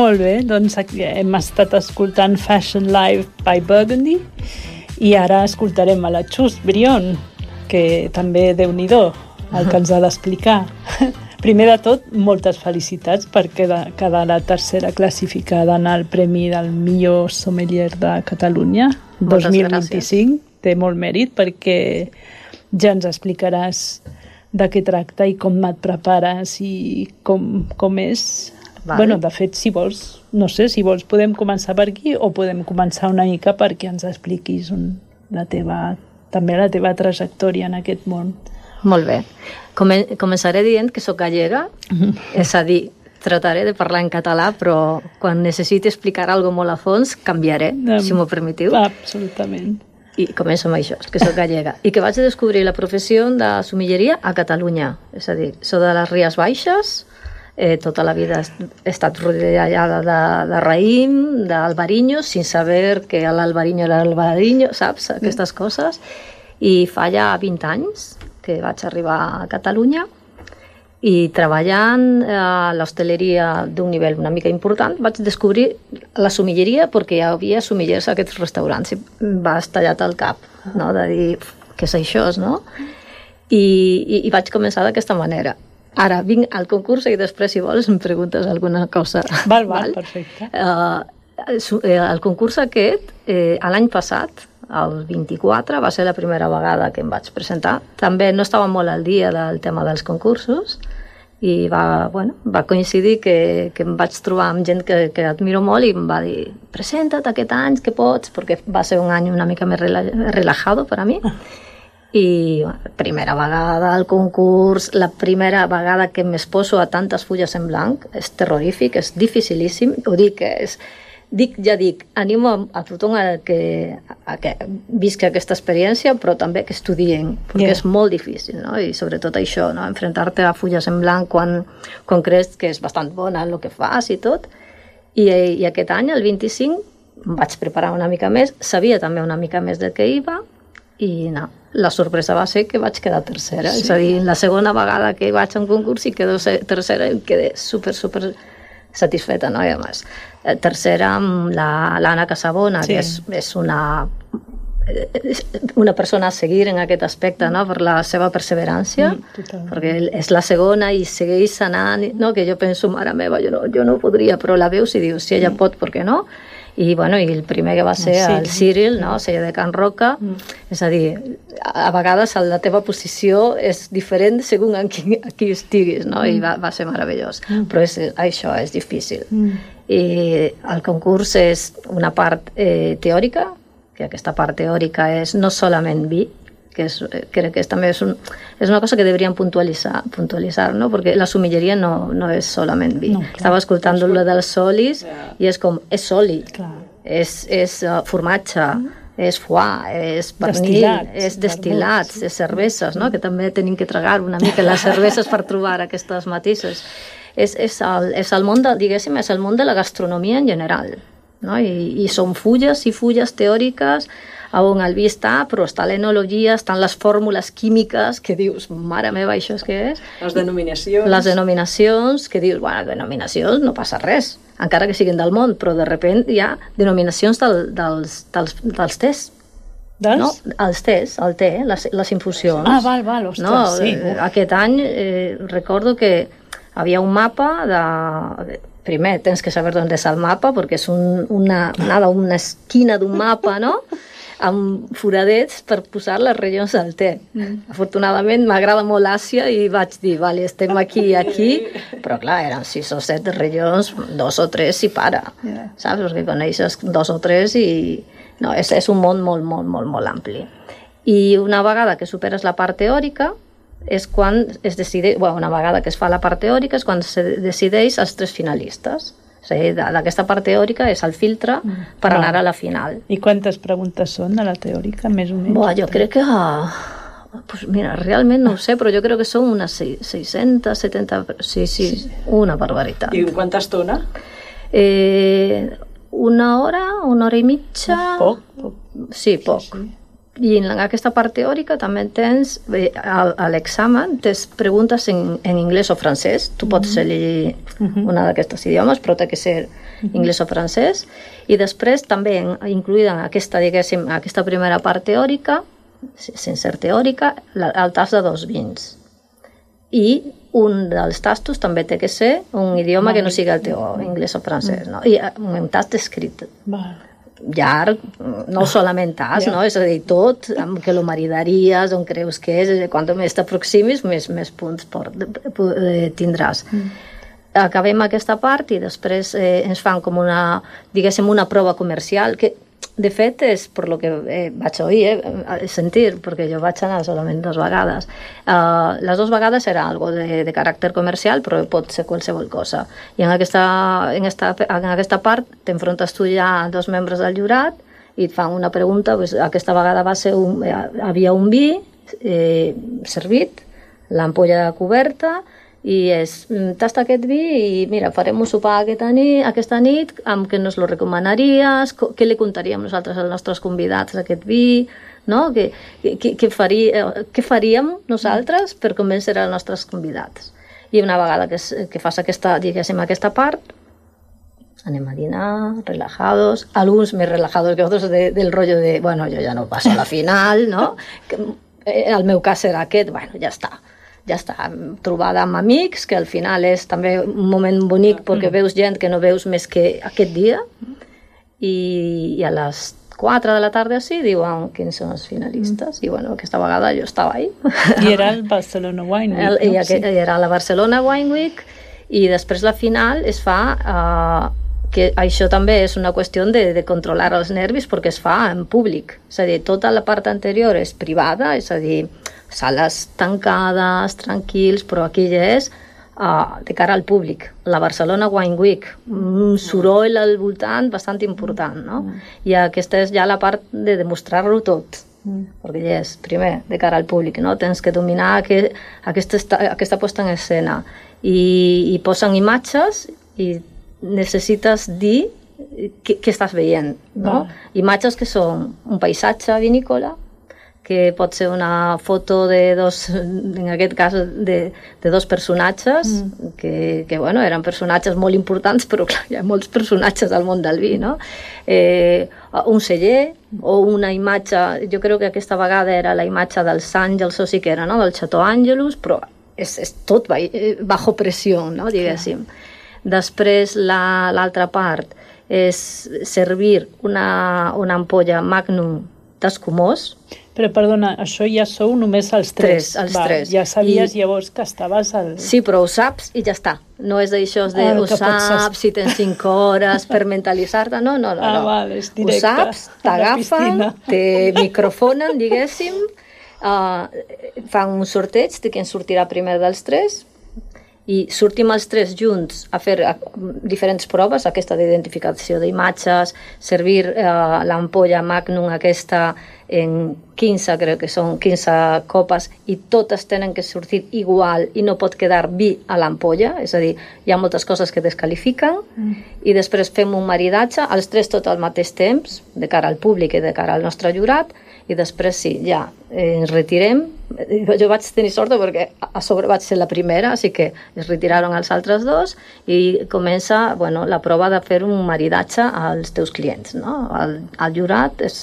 Molt bé, doncs hem estat escoltant Fashion Live by Burgundy i ara escoltarem a la Xus Brion, que també Déu-n'hi-do el que ens ha d'explicar. Primer de tot, moltes felicitats per quedar la tercera classificada en el Premi del millor sommelier de Catalunya dos mil vint-i-cinc. Té molt mèrit perquè ja ens explicaràs de què tracta i com et prepares i com, com és. Vale. Bueno, de fet, si vols, no sé, si vols podem començar per aquí o podem començar una mica perquè ens expliquis un, la teva, també la teva trajectòria en aquest món. Molt bé. Come, començaré dient que sóc gallega, mm-hmm. és a dir, trataré de parlar en català, però quan necessiti explicar alguna cosa molt a fons, canviaré, um, si m'ho permetiu. Absolutament. I començo amb això, que sóc gallega. I que vaig descobrir la professió de sommelleria a Catalunya. És a dir, soc de les Ries Baixes, Eh, tota la vida he estat rodejada de, de raïm, d'albariño, sin saber que l'albariño era l'albariño, saps? Aquestes coses. I fa ja vint anys que vaig arribar a Catalunya i treballant a l'hostaleria d'un nivell una mica important vaig descobrir la sommelleria perquè hi havia sommeliers a aquests restaurants i va estallat al cap, no? De dir, què és això, no? I, i, i vaig començar d'aquesta manera. Ara vinc al concurs i després, si vols, em preguntes alguna cosa. Val, val, val? Perfecte. Uh, el concurs aquest, eh, l'any passat, el vint-i-quatre, va ser la primera vegada que em vaig presentar. També no estava molt al dia del tema dels concursos i va, bueno, va coincidir que, que em vaig trobar amb gent que, que admiro molt i em va dir, presenta't aquest any, que pots, perquè va ser un any una mica més relajado per a mi. I bueno, primera vegada al concurs, la primera vegada que m'exposo a tantes fulles en blanc, és terrorífic, és dificilíssim, ho dic, és, dic ja dic, animo a, a tothom a que, a que visqui aquesta experiència, però també que estudien, perquè yeah. és molt difícil, no? I sobretot això, no? Enfrontar-te a fulles en blanc quan, quan creus que és bastant bona el que fas i tot. I, i aquest any, el vint-i-cinc, em vaig preparar una mica més, sabia també una mica més de què iba, i no, la sorpresa va ser que vaig quedar tercera. Sí. És a dir, la segona vegada que vaig a un concurs i quedo tercera i quedé super, super satisfeta, no? I a més, tercera amb l'Anna Casabona, sí. que és, és una, una persona a seguir en aquest aspecte, no? Per la seva perseverància, mm, perquè és la segona i segueix anant, no? Que jo penso, mare meva, jo no, jo no podria, però la veus i dius, si ella pot, per què no? I, bueno, i el primer que va ser sí. el Cyril, no? El celler de Can Roca, mm. és a dir, a vegades la teva posició és diferent segons a qui, a qui estiguis, no? Mm. I va, va ser meravellós, mm. però és, això és difícil. Mm. I el concurs és una part eh, teòrica, que aquesta part teòrica és no solament vi, que és, crec que és, també és, un, és una cosa que deberíem puntualitzar, puntualitzar, no? Perquè la sommelleria no, no és solament vi. No, clar, Estava escoltant lo dels solis yeah. i és com, és soli. Clar. és, és uh, formatge, és foie, és pernil, Destil·lats, és destil·lats, vermuts. és cerveses, no? Que també tenim que tragar una mica les cerveses per trobar aquestes matisos. És, és, el, és el món de, diguéssim, és el món de la gastronomia en general, no? I, i són fulles i fulles teòriques on el vi està, però està l'enologia, estan les fórmules químiques que dius, mare meva, això és què és? Les denominacions. Les denominacions, que dius, bueno, denominacions no passa res, encara que siguin del món, però de repent hi ha denominacions del, dels, dels, dels tés. Dels? No, els tés, el té, les, les infusions. Ah, val, val, ostres, no, sí. eh, Aquest any eh, recordo que havia un mapa de... Primer, tens que saber d'on és el mapa, perquè és un, una, una, una esquina d'un mapa, no?, amb foradets per posar les regions del té. Mm. Afortunadament m'agrada molt Àsia i vaig dir, vale, estem aquí i aquí, però clar, eren sis o set regions, dos o tres i para, yeah. Saps? Perquè coneixes dos o tres i... No, és, és un món molt, molt, molt, molt ampli. I una vegada que superes la part teòrica, és quan es decideix, bueno, una vegada que es fa la part teòrica és quan se decideix els tres finalistes. O sigui, d'aquesta part teòrica és el filtre per anar a la final. I quantes preguntes són de la teòrica, més o menys? Buah, jo crec que... Pues mira, realment no ho sé, però jo crec que són unes seiscentes, setanta... Sí, sí, una barbaritat. I en quanta estona? Eh, una hora, una hora i mitja... Poc, poc. Sí, poc. Sí, sí. I en aquesta part teòrica també tens, a l'examen, tens preguntes en, en anglès o francès. Tu pots elegir uh-huh. una d'aquestes idiomes, però té que ser uh-huh. anglès o francès. I després també incluïda en aquesta, diguéssim, aquesta primera part teòrica, sense ser teòrica, el tast de dos vins. I un dels tastos també té que ser un idioma que no sigui el teu, anglès o francès, no? I un tast escrit. Vale. Llarg, no solament tas, yeah. no? És a dir, tot, amb què lo maridaries, on creus que és, quan més t'aproximis, més, més punts por, eh, tindràs. Mm. Acabem aquesta part i després eh, ens fan com una, diguéssim, una prova comercial, que de fet és per lo que eh, vaig oir, eh, sentir, perquè jo vaig anar solament dues vegades. Uh, les dues vegades era algo de, de caràcter comercial, però pot ser qualsevol cosa. I en aquesta, en esta, en aquesta part t'enfrontes tu ja a dos membres del jurat i et fan una pregunta, pues, aquesta vegada va ser un, eh, havia un vi eh, servit, l'ampolla coberta, i és, tasta aquest vi i mira, farem un sopar aquesta nit, aquesta nit amb què nos lo recomanaries, què li contaríem nosaltres als nostres convidats d'aquest vi, no? Què, què, què, faria, què faríem nosaltres per convèncer els nostres convidats. I una vegada que, que fas aquesta, diguéssim, aquesta part, anem a dinar, relajados, alguns més relajados que altres de, del rotllo de, bueno, jo ja no passo a la final, no? Que, el meu cas era aquest, bueno, ja està. Ja està, trobada amb amics, que al final és també un moment bonic perquè veus gent que no veus més que aquest dia, i, i a les quatre de la tarda sí, diuen quins són els finalistes, i bueno, aquesta vegada jo estava ahí. I era el Barcelona Wine Week, el, no? I sí. Era la Barcelona Wine Week, i després la final es fa... Uh, que això també és una qüestió de, de controlar els nervis perquè es fa en públic, és a dir, tota la part anterior és privada, és a dir, sales tancades, tranquils, però aquí ja és uh, de cara al públic. La Barcelona Wine Week, un soroll al voltant bastant important, no? I aquesta és ja la part de demostrar-ho tot, perquè ja és, primer, de cara al públic, no? Tens que dominar aquest, aquesta, aquesta posta en escena, i, i posen imatges i necessites dir què, què estàs veient, no? Ah. Imatges que són un paisatge vinícola, que pot ser una foto de dos, en aquest cas, de, de dos personatges, mm. que, que, bueno, eren personatges molt importants, però clar, hi ha molts personatges al món del vi, no? Eh, un celler, o una imatge, jo crec que aquesta vegada era la imatge dels Àngels, o sí que era, no?, del Chateau Angelus, però és, és tot bajo pressió, no?, diguéssim. Clar. Després l'altra part és servir una, una ampolla Magnum d'escumós. Però perdona, això ja sou només els tres. Tres, els Va, tres. Ja sabies I... llavors que estaves al... Sí, però ho saps i ja està. No és d'això de ho saps, si tens cinc hores per mentalitzar-te, no, no, no. Ah, no. val, és directe. Ho saps, t'agafen, te microfonen, diguéssim, uh, fan un sorteig de qui en sortirà primer dels tres, i sortim els tres junts a fer diferents proves, aquesta d'identificació d'imatges, servir eh, l'ampolla Magnum aquesta en quinze, crec que són quinze copes, i totes tenen que sortir igual i no pot quedar vi a l'ampolla, és a dir, hi ha moltes coses que descalifiquen, mm. i després fem un maridatge, els tres tot al mateix temps, de cara al públic i de cara al nostre jurat, i després sí, ja, eh, ens retirem. Jo vaig tenir sort perquè a sobre vaig ser la primera, així que es retiraron els altres dos i comença, bueno, la prova de fer un maridatge als teus clients, no? El, el jurat és,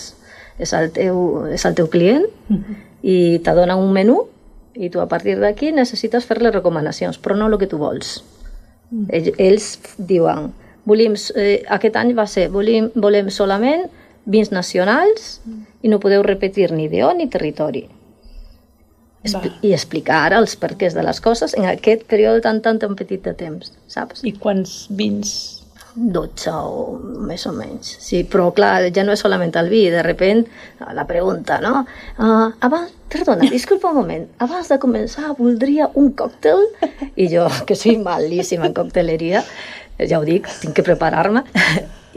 és, el teu, és el teu client mm-hmm. i te dona un menú i tu a partir d'aquí necessites fer-li recomanacions, però no el que tu vols. Mm. Ells, ells diuen, volim, eh, aquest any va ser, volem, volem solament vins nacionals mm. i no podeu repetir ni ideó ni territori. Expl I explicar els perquès de les coses en aquest període tan, tan, tan petit de temps, saps? I quants vins? dotze o més o menys. Sí, però clar, ja no és solament el vi, de repent la pregunta, no? Uh, abans, perdona, disculpa un moment, abans de començar voldria un còctel? I jo, que soy malíssima en cocteleria, ja ho dic, tinc que preparar-me,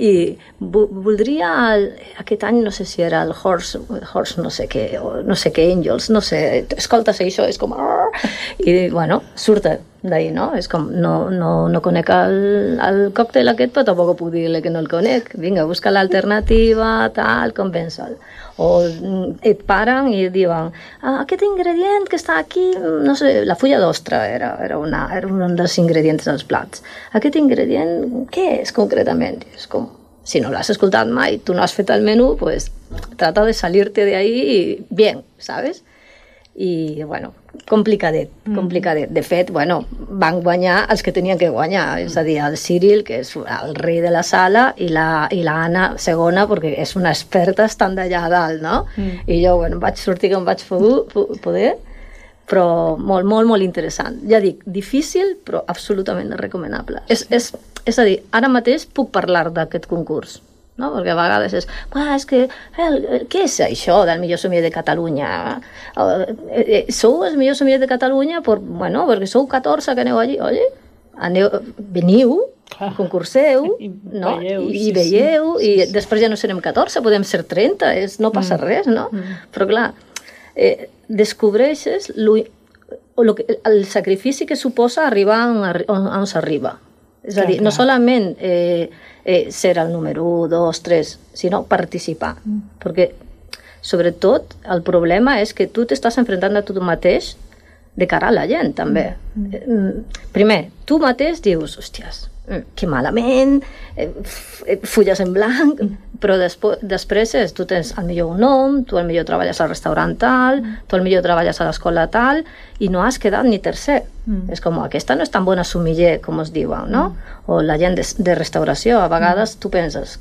i voldria, el, aquest any no sé si era el Horse, Horse no sé què, o no sé què Angels, no sé, escoltes això, és com... I bueno, surt d'ahir, no? És com, no, no, no conec el, el còctel aquest, però tampoc puc dir-li que no el conec. Vinga, busca l'alternativa, tal, convença'l. O et paren i et diuen, ah, aquest ingredient que està aquí, no sé, la fulla d'ostra era, era, una, era un dels ingredients dels plats. Aquest ingredient, què és concretament? És com, si no l'has escoltat mai, tu no has fet el menú, pues trata de salir-te de ahí bien, ¿sabes? I, bueno, complicadet, complicadet. De fet, bueno, van guanyar els que tenien que guanyar, és a dir, el Cyril, que és el rei de la sala, i la, i la Anna, segona, perquè és una experta estant d'allà a dalt, no? Mm. I jo, bueno, vaig sortir com vaig poder, però molt, molt, molt interessant. Ja dic, difícil, però absolutament recomanable. És, és, és a dir, ara mateix puc parlar d'aquest concurs, no? Perquè a vegades és, és que, eh, què és això del millor sommelier de Catalunya? Eh, eh, sou el millor sommelier de Catalunya per, bueno, perquè sou catorze que aneu allí, oi? Aneu, veniu, clar, concurseu, i no? veieu, I, sí, i veieu, sí, i sí, després ja no serem catorze, podem ser trenta, és, no passa mm. res, no? Mm. Però clar, eh, descobreixes lo, lo que, el sacrifici que suposa arribar on, on s'arriba. És a dir, no solament eh, eh, ser el número un, dos, tres, sinó participar. Mm. Perquè, sobretot, el problema és que tu t'estàs enfrontant a tu mateix de cara a la gent, també. Mm. Primer, tu mateix dius, hòsties, que malament, eh, fulles en blanc, mm. però després, després és, tu tens el millor un nom, tu el millor treballes al restaurant tal, mm. tu el millor treballes a l'escola tal, i no has quedat ni tercer. Mm. És com, aquesta no és tan bona sommelier com es diuen, no? Mm. O la gent de, de restauració, a vegades mm. tu penses,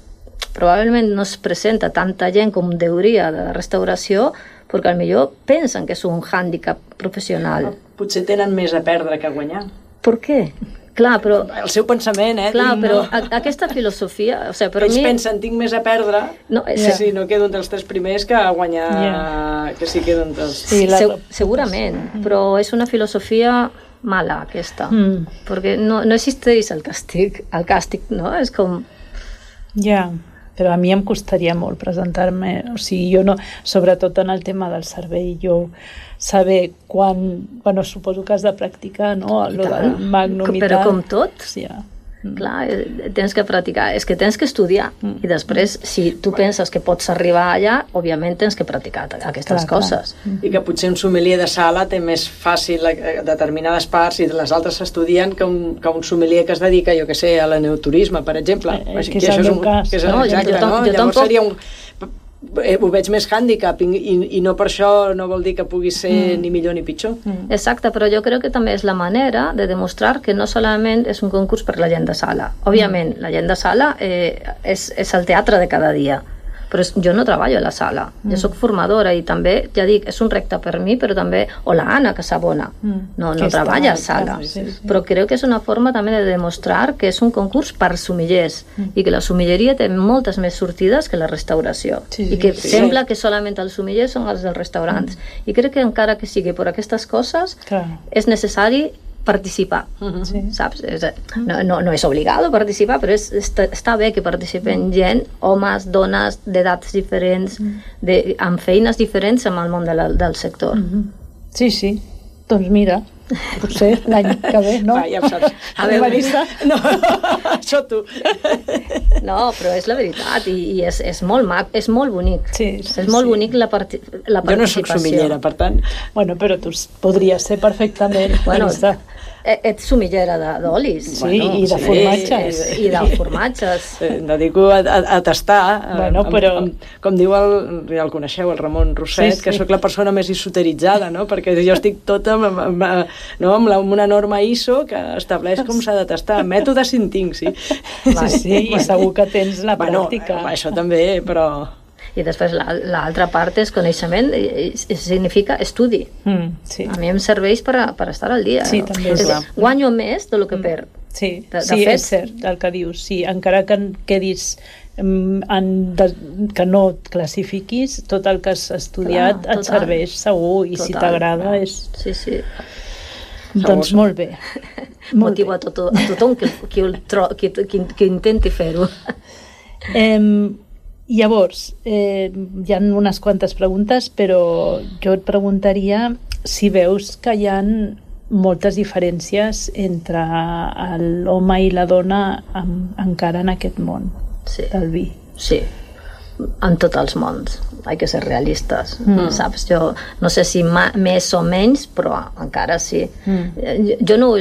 probablement no es presenta tanta gent com deuria de restauració, perquè potser pensen que és un hàndicap professional. Potser tenen més a perdre que a guanyar. Per què? Clar, però... El seu pensament, eh? Clar, tinc, però no? a, aquesta filosofia... O sigui, per Ells mi... pensen, tinc més a perdre, no, és... si no quedo entre els tres primers que a guanyar, yeah. que si quedo entre els... Sí, la... Se segurament, mm. però és una filosofia mala, aquesta, mm. perquè no, no existeix el càstig, el càstig, no? És com... Ja, yeah. Però a mi em costaria molt presentar-me, o sigui, jo no, sobretot en el tema del servei, jo saber quan, bueno, suposo que has de practicar, no?, el del Magnum i tal. Però com tot, sí, ja. Mm. Clar, tens que practicar, és que tens que estudiar, mm. i després, si tu penses que pots arribar allà, òbviament tens que practicar aquestes clar, coses. Clar. I que potser un sommelier de sala té més fàcil determinades parts i les altres s'estudien que, un, que un sommelier que es dedica, jo que sé, a l'enoturisme, per exemple. Eh, que és el meu cas. Que és el, no, exacte, jo, jo, no? Jo Llavors tampoc... seria un... ho veig més hàndicap i, i, i no per això no vol dir que pugui ser mm. ni millor ni pitjor. Mm. Exacte, però jo crec que també és la manera de demostrar que no solament és un concurs per la gent de sala. Òbviament, mm. la gent de sala eh, és, és el teatre de cada dia, però jo no treballo a la sala, mm. jo soc formadora i també, ja dic, és un repte per mi, però també, o la Anna Casabona, mm. no, no treballa a sala, sí, sí. però crec que és una forma també de demostrar que és un concurs per sommeliers mm. i que la sommelieria té moltes més sortides que la restauració, sí, sí, i que sí, sembla sí. que solament els sommeliers són els dels restaurants, mm. i crec que encara que sigui per aquestes coses, clar. És necessari participar, Sí. saps? És, no, no, no és obligado participar, però és, està, està bé que participen gent, homes, dones, d'edats diferents, de, amb feines diferents amb el món de la, del sector. Sí, sí. Doncs mira, potser l'any que ve, no? Va, ja ho saps. A veure. Marissa. No, això tu. No, però és la veritat, i, i és, és molt mac, és molt bonic. Sí, sí, és molt sí. bonic la, parti la participació. Jo no soc sumillera, per tant... Bueno, però tu podria ser perfectament, Bueno, Marissa. e- ets sumillera de- d'olis. Sí, Bueno, i de sí, formatges. sí. I de formatges. Em dedico a, a, a tastar, Bueno, amb, però- amb, com diu el, ja el coneixeu, el Ramon Rosset, Sí, sí. que sóc la persona més esoteritzada, no? Perquè jo estic tota amb, amb, amb, no? amb, la, amb una norma I S O que estableix com s'ha de tastar. Mètode Cintinc, sí. Sí, sí, i segur que tens la Bueno, pràctica. això també, però... I després l'altra part és coneixement, i, i significa estudi. Mm, sí. A mi em serveix per, a, per estar al dia. Sí, no? també, És, clar. guanyo més del que perd. Sí, De- de sí fet- és cert el que dius. Sí, encara que en quedis em, en de, que no et classifiquis, tot el que has estudiat Clar, et total. serveix segur, i si Total. t'agrada és... Sí, sí. Doncs molt bé. Molt Motivo a, tot, a tothom que, que, el tro, que, que, que intenti fer-ho. Eh, llavors, eh, hi ha unes quantes preguntes, però jo et preguntaria si veus que hi ha moltes diferències entre l'home i la dona en, encara en aquest món Sí. del vi. Sí, en tots els mons. Hay que ser realistes, mm. saps? Jo no sé si ma, més o menys, però encara sí. Mm. Jo no,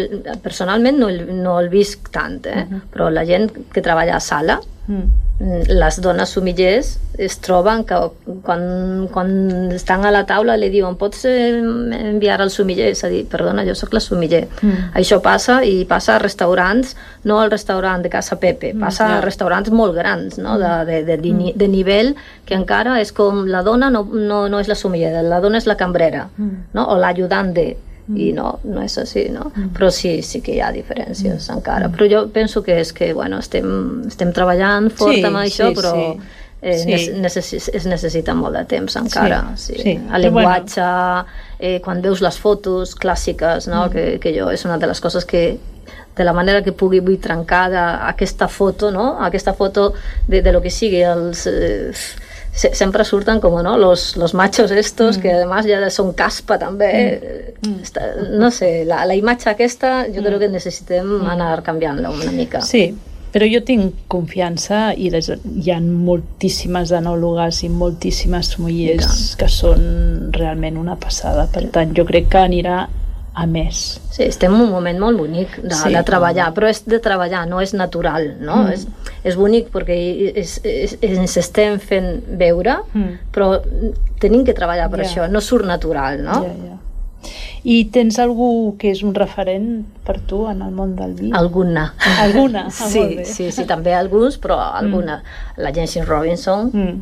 personalment no, no el visc tant, eh? Mm -hmm. però la gent que treballa a sala, mm. les dones sumillers es troben que quan, quan estan a la taula li diuen pots enviar al sumiller? És a dir, perdona, jo sóc la sumiller. Mm. Això passa i passa a restaurants, no al restaurant de Casa Pepe, passa mm, yeah. a restaurants molt grans, no? de, de, de, de, mm. de nivell que encara és com la dona no, no, no és la sumiller, la dona és la cambrera, mm. no? o l'ajudant de, i no, no és així, no? Mm. Però sí, sí que hi ha diferències mm. encara. Però jo penso que és que, bueno, estem, estem treballant fort sí, amb això, sí, però sí. Eh, Sí. necessi es necessita molt de temps encara. Sí, Sí, sí. El llenguatge, eh, quan veus les fotos clàssiques, no? mm. que, que jo és una de les coses que de la manera que pugui vull trencar aquesta foto, no? Aquesta foto de, de lo que sigui, els... Eh, sempre surten com no, los, los machos estos mm. que además ja són caspa també mm. Està, no sé, la, la imatge aquesta jo mm. crec que necessitem mm. anar canviant-la una mica. Sí, però jo tinc confiança i les, hi ha moltíssimes enòlogues i moltíssimes mullers que són realment una passada, per tant jo crec que anirà a més. Sí, estem en un moment molt bonic de, sí, de treballar, però és de treballar, no és natural, no? Mm. És, és bonic perquè és, és, ens estem fent veure, mm. però tenim que treballar per yeah. això, no surt natural, no? Yeah, yeah. I tens algú que és un referent per tu en el món del vi? Alguna. Alguna? Ah, sí, sí, sí, també alguns, però alguna. Mm. La Jency Robinson, mm.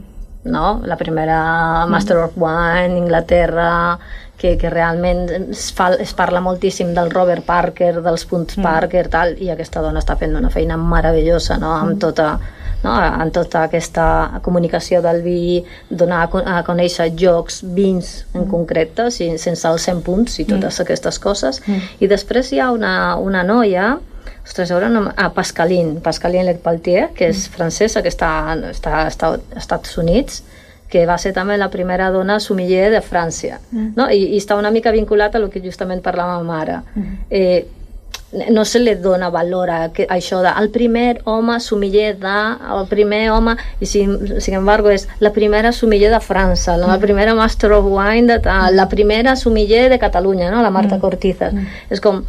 no? La primera Master mm. of Wine, Inglaterra, que, que realment es, fa, es parla moltíssim del Robert Parker, dels punts mm. Parker, tal, i aquesta dona està fent una feina meravellosa, no? Amb tota, no? En tota aquesta comunicació del vi, donar a conèixer jocs, vins en mm. concret, sense els cent punts i totes mm. aquestes coses. Mm. I després hi ha una, una noia, ostres, ara no, ah, Pascaline, Pascaline Lecpeltier, que és francesa, que està, està, està als Estats Units, que va ser també la primera dona sommelier de França, mm. no? I, i està una mica vinculat a el que justament parlàvem ara. Mm. Eh, no se li dona valor a, que, a això de el primer home sommelier de, el primer home, i sin, sin embargo és la primera sommelier de França, la, mm. la primera Master of Wine de tal, la primera sommelier de Catalunya, no? La Marta mm. Cortizas. Mm. És com...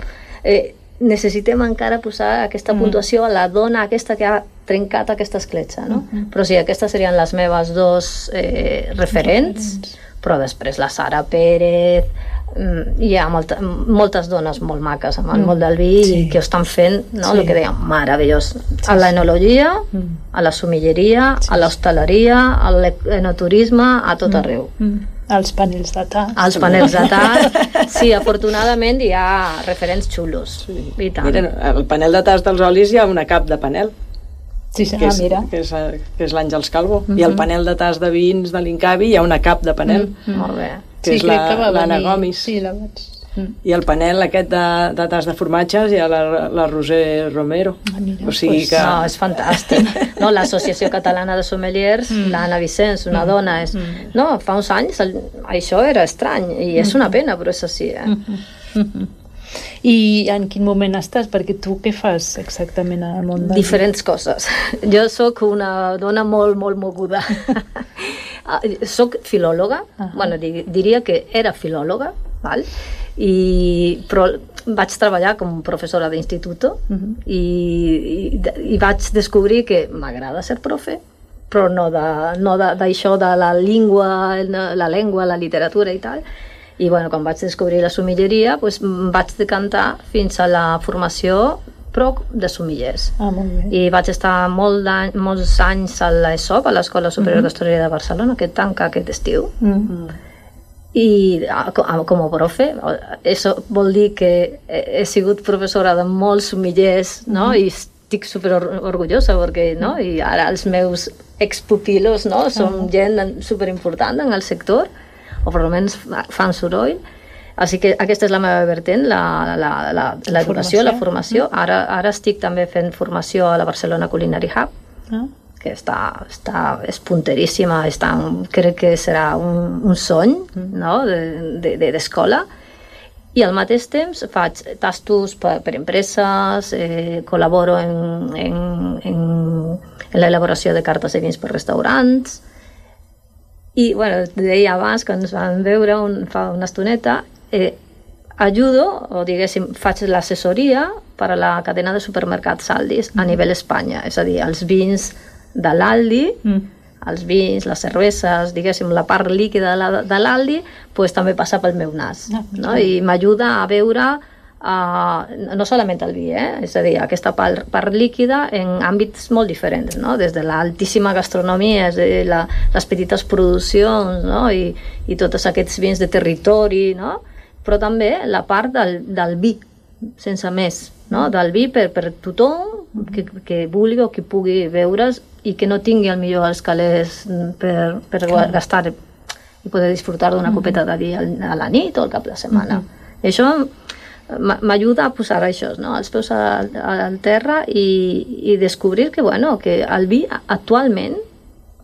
Eh, necessitem encara posar aquesta mm. puntuació a la dona aquesta que ha trencat aquesta escletxa, no? Mm -hmm. Però sí, aquestes serien les meves dos eh, referents, però després la Sara Pérez, mm, hi ha molta, moltes dones molt maques amb el mm. món del vi sí. i que ho estan fent, no? Sí. El que dèiem, meravellós. Sí, a l'enologia, sí. a la sommelleria, sí. a l'hostaleria, a l'enoturisme, a tot mm. arreu. Mm. Els panels de tas. Els panels de tas, sí, afortunadament hi ha referents xulos. Sí. I tant. Mira, el panel de tas dels olis hi ha una cap de panel. Sí, sí, que ah, és, mira. Que és, que és l'Àngels Calvo. Mm -hmm. I el panel de tas de vins de l'Incavi hi ha una cap de panel. Mm -hmm. Molt bé. Que sí, és l'Anna venir... Gomis. Sí, la vaig... Mm. I el panel aquest de, de tas de formatges i la, la Roser Romero. Ah, mira, o sigui pues, que... No, és fantàstic. No, l'Associació Catalana de Sommeliers, mm. l'Anna Vicenç, una mm. dona, és... Mm. No, fa uns anys el... això era estrany i és una pena, però és així, eh? Mm -hmm. I en quin moment estàs? Perquè tu què fas exactament al món? De... Diferents coses. Jo sóc una dona molt, molt moguda. Soc filòloga, uh-huh. bueno, diria que era filòloga, val? I, però vaig treballar com professora d'institut uh-huh. i, i, i vaig descobrir que m'agrada ser profe, però no d'això no de, de, de la llengua, la llengua, la literatura i tal. I bueno, quan vaig descobrir la sommeleria, pues, vaig decantar fins a la formació però de sommeliers. Ah, molt bé. I vaig estar molt molts anys a l'ESOP, a l'Escola Superior uh-huh. d'Hostaleria de Barcelona, que tanca aquest estiu. Uh-huh. I com a profe, això vol dir que he sigut professora de molts sommeliers, no? Uh-huh. I estic super orgullosa perquè, no? I ara els meus expupilos, no? Són uh-huh. gent superimportant en el sector, o per almenys fan soroll. Així que aquesta és la meva vertent, l'educació, la, la, la formació. Ara, ara estic també fent formació a la Barcelona Culinary Hub, ah. que està, està, és punteríssima, està, crec que serà un, un sony no? d'escola. De, de, I al mateix temps faig tastos per, per empreses, eh, col·laboro en, en, en, en l'elaboració de cartes de vins per restaurants. I, bueno, deia abans, que ens vam veure un, fa una estoneta, eh, ajudo, o diguéssim, faig l'assessoria per a la cadena de supermercats Aldis a nivell Espanya, és a dir, els vins de l'Aldi, mm. els vins, les cerveses, diguéssim, la part líquida de l'Aldi, pues, també passa pel meu nas, no, no? I m'ajuda a veure Uh, no solament el vi, eh? És a dir, aquesta part, part líquida en àmbits molt diferents, no? Des de l'altíssima gastronomia, és a dir, la, les petites produccions, no? I, i tots aquests vins de territori, no? Però també la part del, del vi, sense més, no? Del vi per, per tothom que, que vulgui o que pugui veure's i que no tingui el millor els calés per, per gastar i poder disfrutar d'una copeta de vi a la nit o al cap de setmana. I això m'ajuda a posar això, no? Els peus al, al terra i, i descobrir que, bueno, que el vi actualment,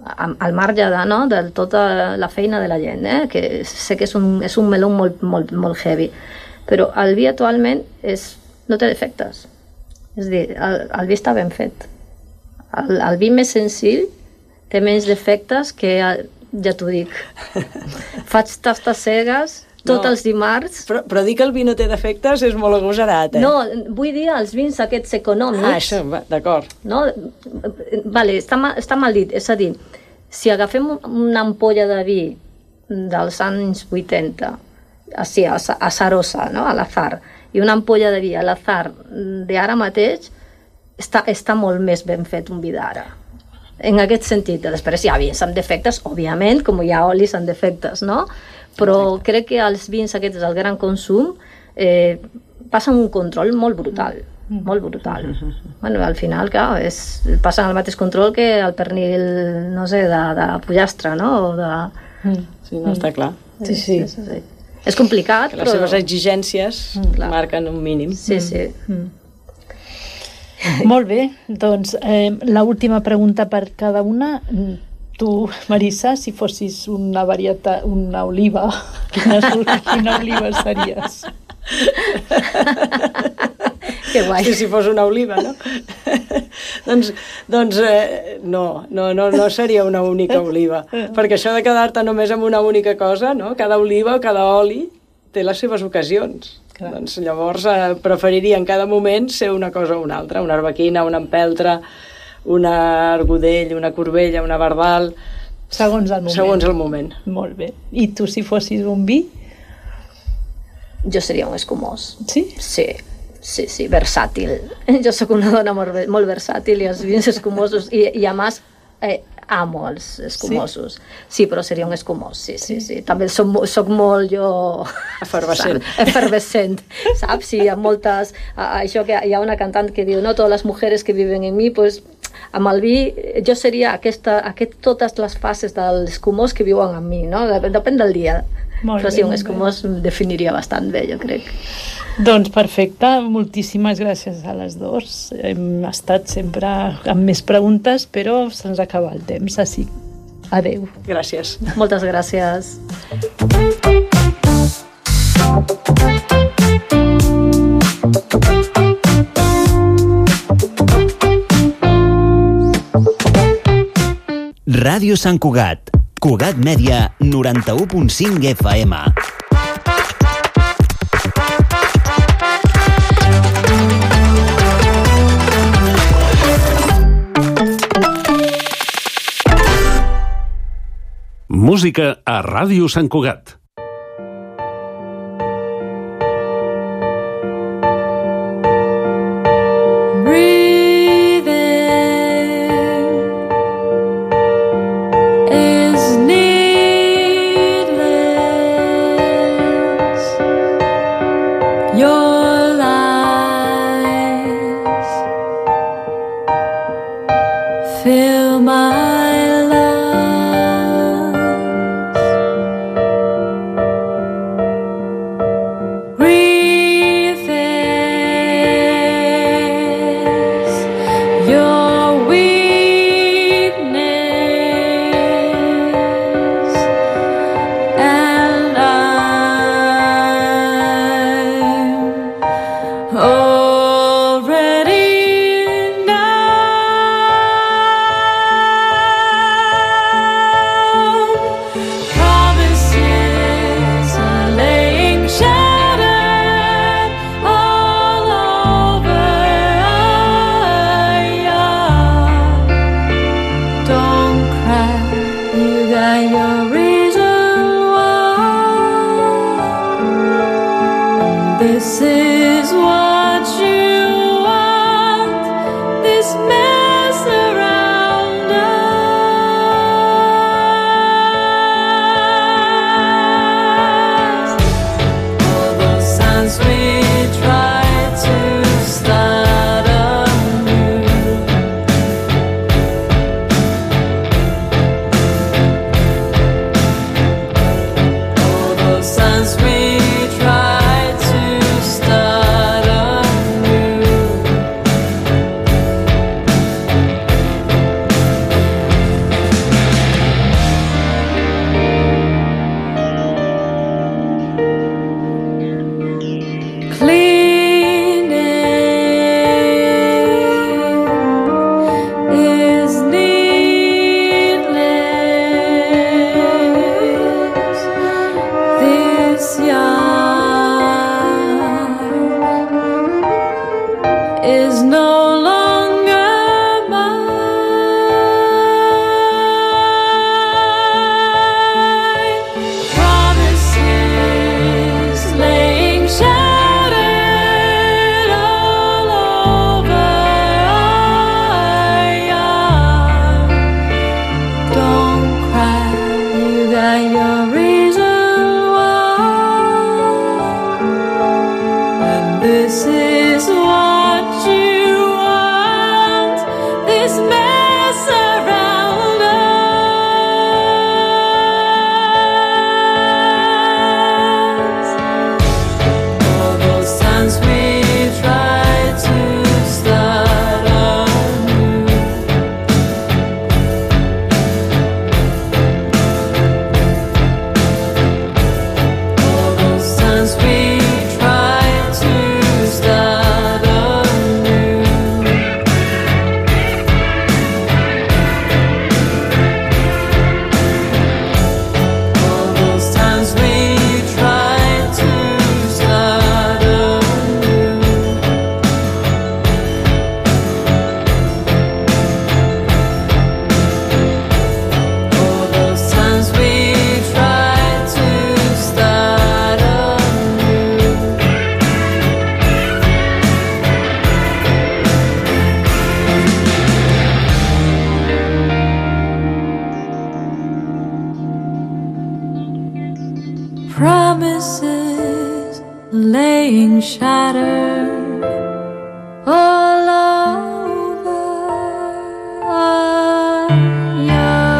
al marge de, no, de tota la feina de la gent, eh? Que sé que és un, és un meló molt, molt, molt heavy, però el vi actualment és, no té defectes. És a dir, el, el vi està ben fet. El, el vi més senzill té menys defectes que, el, ja t'ho dic, faig tastes cegues tots no, els dimarts. Però, però dir que el vi no té defectes és molt agosarat, eh? No, vull dir els vins aquests econòmics. Ah, això, d'acord. No? Vale, està, mal, està mal dit. És a dir, si agafem una ampolla de vi dels anys vuitanta, així, a, a Sarosa, no? A l'Azar, i una ampolla de vi a l'Azar d'ara mateix, està, està molt més ben fet un vi d'ara. En aquest sentit. Després hi ha vins amb defectes, òbviament, com hi ha olis amb defectes, no? Però crec que els vins aquests del gran consum eh, passen un control molt brutal, molt brutal. Bueno, al final, clar, és, passen el mateix control que el pernil, no sé, de, de pollastre, no? O de... Sí, no, està clar. Sí, sí. És, és, és, és complicat, que les però... seves exigències mm, marquen un mínim. Sí, sí. Mm. Molt bé, doncs eh, l'última pregunta per cada una. Tu, Marissa, si fossis una varietat, una oliva, quina, quina oliva series? Que guai. Sí, si fos una oliva, no? doncs doncs eh, no, no, no, no seria una única oliva, perquè això de quedar-te només amb una única cosa, no? Cada oliva o cada oli té les seves ocasions. Clar. Doncs llavors eh, preferiria en cada moment ser una cosa o una altra, una arbequina, una empeltre, una argodell, una corbella, una bardal... Segons el moment. Segons el moment. Molt bé. I tu, si fossis un vi? Jo seria un escumós. Sí? Sí, sí, sí, versàtil. Jo sóc una dona molt, molt versàtil i els vins escumosos, i, i a més eh, amo els escumosos. Sí? Sí, però seria un escumós, sí, sí, sí. També soc, soc molt jo... Efervescent. Efervescent, saps? Sí, hi ha moltes... Això que hi ha una cantant que diu, no, totes les mujeres que viven en mi, pues... Amb el vi, jo seria aquesta, aquest, totes les fases de l'escumós que viuen amb mi, no? Depèn del dia. Molt Però bé, sí, un molt escumós em definiria bastant bé, jo crec. Doncs perfecte, moltíssimes gràcies a les dues. Hem estat sempre amb més preguntes, però se'ns acaba el temps, així. Adéu. Gràcies. Moltes gràcies. Ràdio Sant Cugat. Cugat Mèdia, noranta-u punt cinc F M. Música a Ràdio Sant Cugat. Promises laying shattered all over our yard.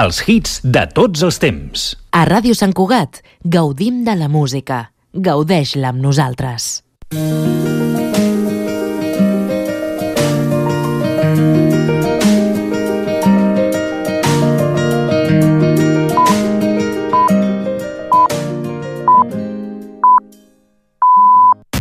Els hits de tots els temps. A Ràdio Sant Cugat gaudim de la música. Gaudeix-la amb nosaltres.